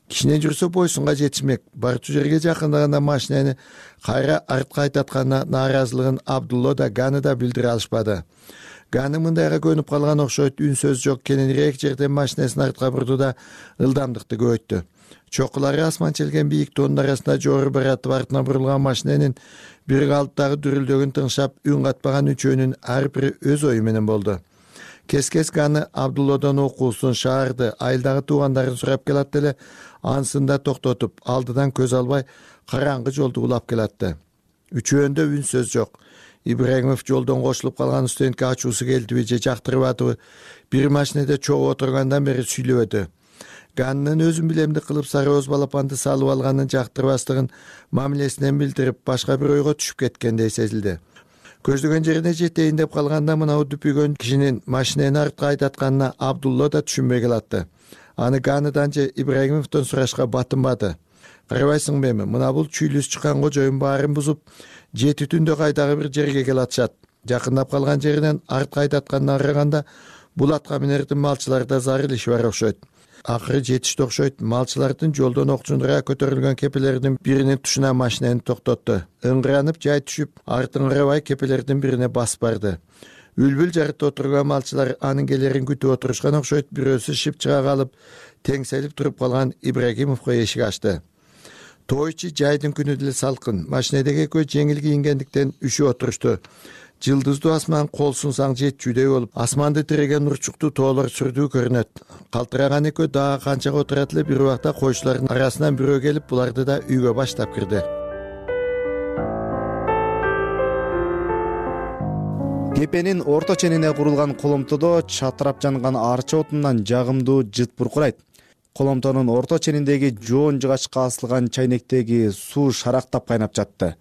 Кичине жүрсө Бойсунга жетишмек. Барчу жерге жакындаганда машинаны кайра артка айтатканына нааразылыгын Абдулла да Ганы да билдире алышпады. Ганы мындайга көнүп калган окшойт, үн сөз жок, кененирээк жерден машинесин артка бурду да ылдамдыкты көбөйттү. Чокулары асман челген бийик тоонун арасында жогору баратып артына бурулган машиненин бир калыптагы дүрүлдөгүн тыңшап, үн катпаган үчөөнүн ар бири өз ою менен болду. Кес-кес Ганы Абдуллодон окуусун, шаарды, айылдагы туугандарын сурап келат эле, ансында токтотуп, алдыдан көз албай, караңгы жолду улап келатты. Үчөөндө үн сөз жок. Ибрагимов жолдон кошулуп калган студентке ачуусу келдиби же жактырбадыбы, бир машинеде чогуу отургандан бери сүйлөбөдү. Ганнын өзүн билемди кылып сары өз балапанды салып алганын жактырбастыгын мамилесинен билдирип, башка бир ойго түшүп кеткендей сезилди. Көздөгөн жерине жетейин деп калганда мына дүпүйгөн кишинин машинени артка айдатканына Абдулла да түшүнбөй калатты. Аны Ганыдан же Ибрагимовдон сурашка батынбады. Карабайсыңбы эми, мына бул чүйлүс чыккан кожоюн баарын бузуп, 7 түндө кайдагы бир жерге келатышат. Жакындап калган жеринен артка айдатканына караганда бул атка минердин малчыларда зарыл иши бар окшойт. Акыры жетишти окшойт, малчылардын жолдон окчундура көтөрүлгөн кепелердин биринин тушуна машинени токтотту. Ыңгыранып жай түшүп, артын карабай кепелердин бирине басып барды. Үлбүл жарытта отурган малчылар анын келерин күтүп отурушкан окшойт, бирөөсү шип чыга калып, теңселип туруп калган Ибрагимовго эшик ачты. Тойчу жайдын күнү деле салкын, машинедеги экөө жеңил кийингендиктен үшүп отурушту. Жылдыздуу асман кол сунсаң жетчүдөй болуп, асманды тиреген нурчуктуу тоолор сүрдүү көрүнөт. Калтыраган экөө дагы канчага отурат эле, бир убакта койчулардын арасынан бирөө келип, буларды да үйгө баштап кирди. Кепенин орто ченине курулган коломтодо чатырап жанган арча отунан жагымдуу жыт буркурайт. Коломтонун орто чениндеги жоон жыгачка асылган чайнектеги суу шарактап кайнап жатты.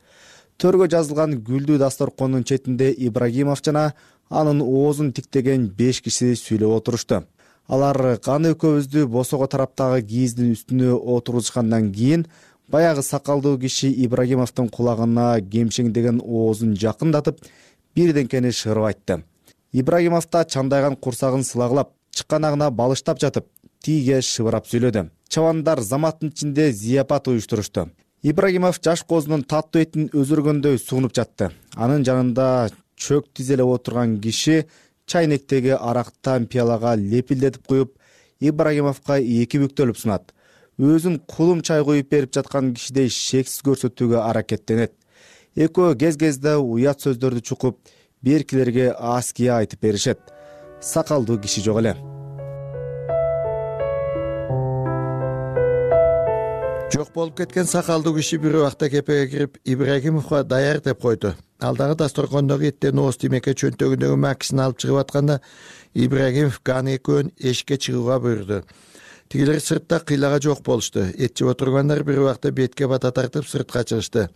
Төргө жазылган гүлдүү дасторкондун четинде Ибрагимов жана анын оозун тиктеген 5 киши сүйлөп отурушту. Алар Ганы экөөбүздү босого тараптагы кийиздин үстүнө отургузгандан кийин баягы сакалдуу киши Ибрагимовдун кулагына кемшеңдеген оозун жакындатып, бирденкени шырып айтты. Ибрагимов да чандайган курсагын сылагылап, чыкканагына балыштап жатып, тийге шыбырап сүйлөдү. Чабандар заматтын ичинде зияпат уюштурушту. Ибрагимов жаш козунун таттуу этин өзөргөндөй сунуп жатты. Анын жанында чөк тизелеп отурган киши чайнектеги арактан пиалага лепилдетип куюп, Ибрагимовго 2 бүктөлүп сунат. Өзүн кулум чай куюп берип жаткан кишидей шексиз көрсөтүүгө аракеттенет. Экөө кез-кезде уят сөздөрдү чукуп, беркилерге аския айтып беришет. Сакалдуу киши жок эле. Жок болуп кеткен сакалдуу киши бир убакта кепеге кирип, Ибрагимовго даяр деп койду. Алдагы дасторкондогу эттен ооз тимекке чөнтөгүндөгү макисин алып чыгып атканда, Ибрагимов Ганы экөөн эшикке чыгууга буйрду. Тигилер сыртта кыйлага жок болушту. Эт жеп отургандар бир убакта бетке бата тартып сыртка чыгышты.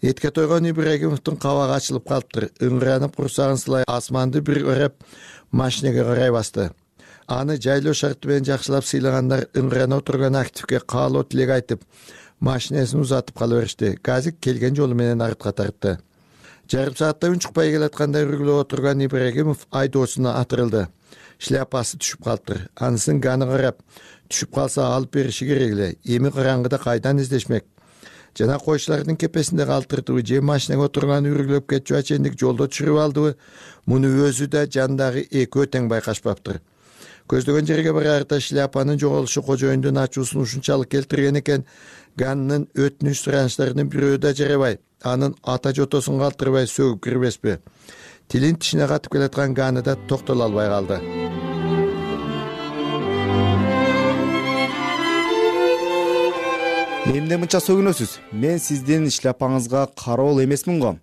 Этке тойгон Ибрагимовдун кабагы ачылып калыптыр. Ыңгыранып курсагын сылай асманды бир өрөп машинеге карай басты. Аны жайлоо шарты менен жакшылап сыйлагандар ыңгырана отурган активге каалоо тилек айтып, машинесин узатып кала беришти. Газик келген жолу менен артка тартты. Жарым саатта үн чыкпай келатканда үргүлөп отурган Ибрагимов айдоочуна атырылды. Шляпасы түшүп калыптыр. Анысын Ганы карап, түшүп калса алып бериши керек эле. Эми караңгыда кайдан издешмек? Жана койчулардын кепесинде калтырдыбы же машинеге отурган үргүлөп кетчү ачендик жолдо түшүрүп алдыбы? Муну өзү да жандагы экөө тең байкашпаптыр. Көздөгөн жерге барарда шляпанын жоголушу кожоюндун ачуусун ушунчалык келтирген экен, Ганнын өтүнүч суранычтарынын бирөө да жарабай, анын ата жотосун калтырбай сөгүп кирбеспи? Тилин тишине катып келаткан Ганы да токтоло албай калды. Эмне мынча сөгүнөсүз? Мен сиздин шляпаңызга кароол эмесмин го.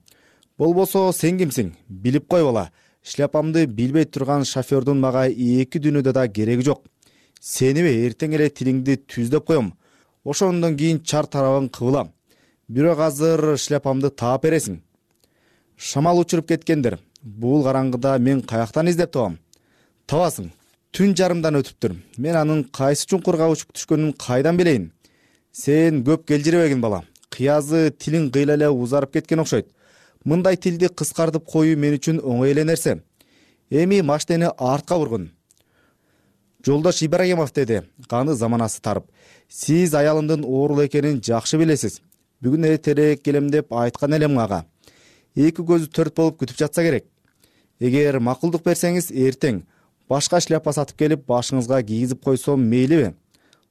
Болбосо сен кимсиң? Билип кой бала. Шляпамды билбей турган шофёрдун мага 2 дүйнөдө да кереги жок. Сеними эртең эле тилиңди түздөп коем. Ошондон кийин чар тарабын кыбылам. Бирок азыр шляпамды таап бересиң. Шамал учуруп кеткендир. Бул караңгыда мен каяктан издеп табам? Табасың. Түн жарымдан өтүптүр. Мен анын кайсы чуңкурга учуп түшкөнүн кайдан билейин? Сен көп келжиребегин бала. Кыязы тилиң кыйла эле узарып кеткен окшойт. Мындай тилди кыскартып коюу мен үчүн оңой эле нерсе. Эми машинени артка бургун. Жолдош Ибрагимов, деди Ганы заманасы тарып. Сиз аялымдын оорулуу экенин жакшы билесиз. Бүгүн эртерээк келем деп айткан элем ага. 2 көзү төрт болуп күтүп жатса керек. эгер макулдук берсеңиз эртең башка шляпа сатып келип башыңызга кийгизип койсом мейлиби?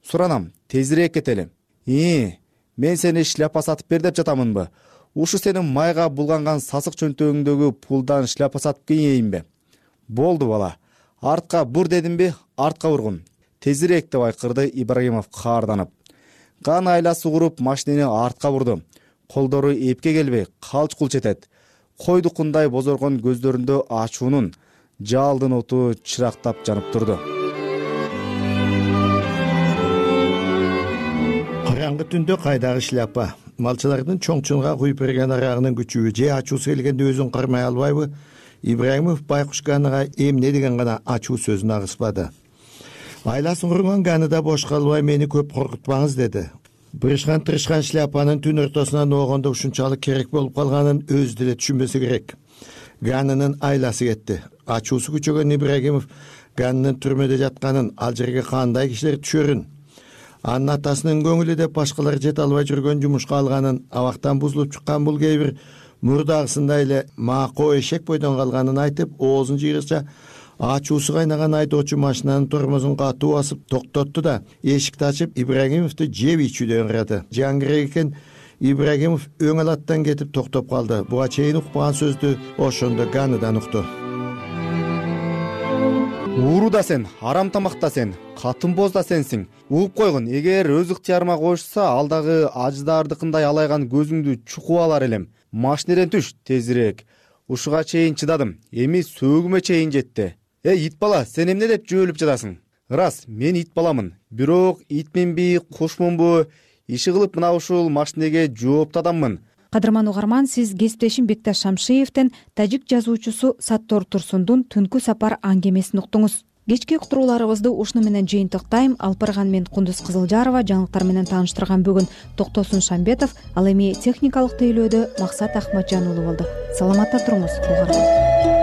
Суранам, тезирээк кетели. Мен сени шляпа сатып бер деп жатамынбы? Ушу сенин майга булганган сасык чөнтөгүңдөгү пулдан шляпа сатып кийейинби? Болду бала. Артка бур дедимби? Артка бургун. Тезирээк деп айкырды Ибрагимов каарданып. Кан айласы куруп машинени артка бурду. Колдору эпке келбей, калч-кулч этет. Койдукундай бозоргон көздөрүндө ачуунун, жалдын оту чырактап жанып турду. Караңгы түндө кайдагы шляпа? Малчылардын чоңчунга куюп берген арагынын күчүбү же ачуусу келгенде өзүн кармай албайбы? Ибрагимов Байкуш Ганыга эмне деген гана ачуу сөзүн агыспады. Айласын курган Ганы да бош калбай мени көп коркутпаңыз деди. Бырышкан-тырышкан шляпанын түн ортосунан оогондо ушунчалык керек болуп калганын өзү деле түшүнбөсө керек. Ганынын айласы кетти. Ачуусу күчөгөн Ибрагимов Ганынын түрмөдө жатканын, ал жерге кандай кишилер түшөрүн, анын атасынын көңүлү деп башкалар жете албай жүргөн жумушка алганын, абактан бузулуп чыккан бул кээ бир мурдагысындай эле мако эшек бойдон калганын айтып, оозун жыйгыча ачуусу кайнаган айдоочу машинанын тормозун катуу басып токтотту да эшикти ачып Ибрагимовду жеп ичүүдөн ырады. Жаңгырек экен, Ибрагимов өң алаттан кетип токтоп калды. Буга чейин укпаган сөздү ошондо Ганыдан укту. Ууру да сен, арам тамак да сен, катын боз да сенсиң. Угуп койгун, эгер өз ыктыярыма коюшса, ал дагы аждаардыкындай алайган көзүңдү чукуп алар элем. Машинеден түш, тезирээк. Ушуга чейин чыдадым, эми сөөгүмө чейин жетти. Ит бала, сен эмне деп жөөлүп жатасың? Ырас, мен ит баламын. Бирок итминби, кушмунбу, иши кылып мына ушул машинеге жооптуу адаммын. Кадырман угарман, сиз кесиптешим Бекташ Шамшиевден тажик жазуучусу Саттор Турсундун Түнкү сапар аңгемесин уктуңуз. Кечки уктурууларыбызды ушуну менен жыйынтыктайм. Алпырган мен Кундуз Кызылжарова жаңылыктар менен тааныштырган бүгүн Токтосун Шамбетов, ал эми техникалык тейлөөдө Максат Ахматжан уулу болду. Саламатта туруңуз угарман.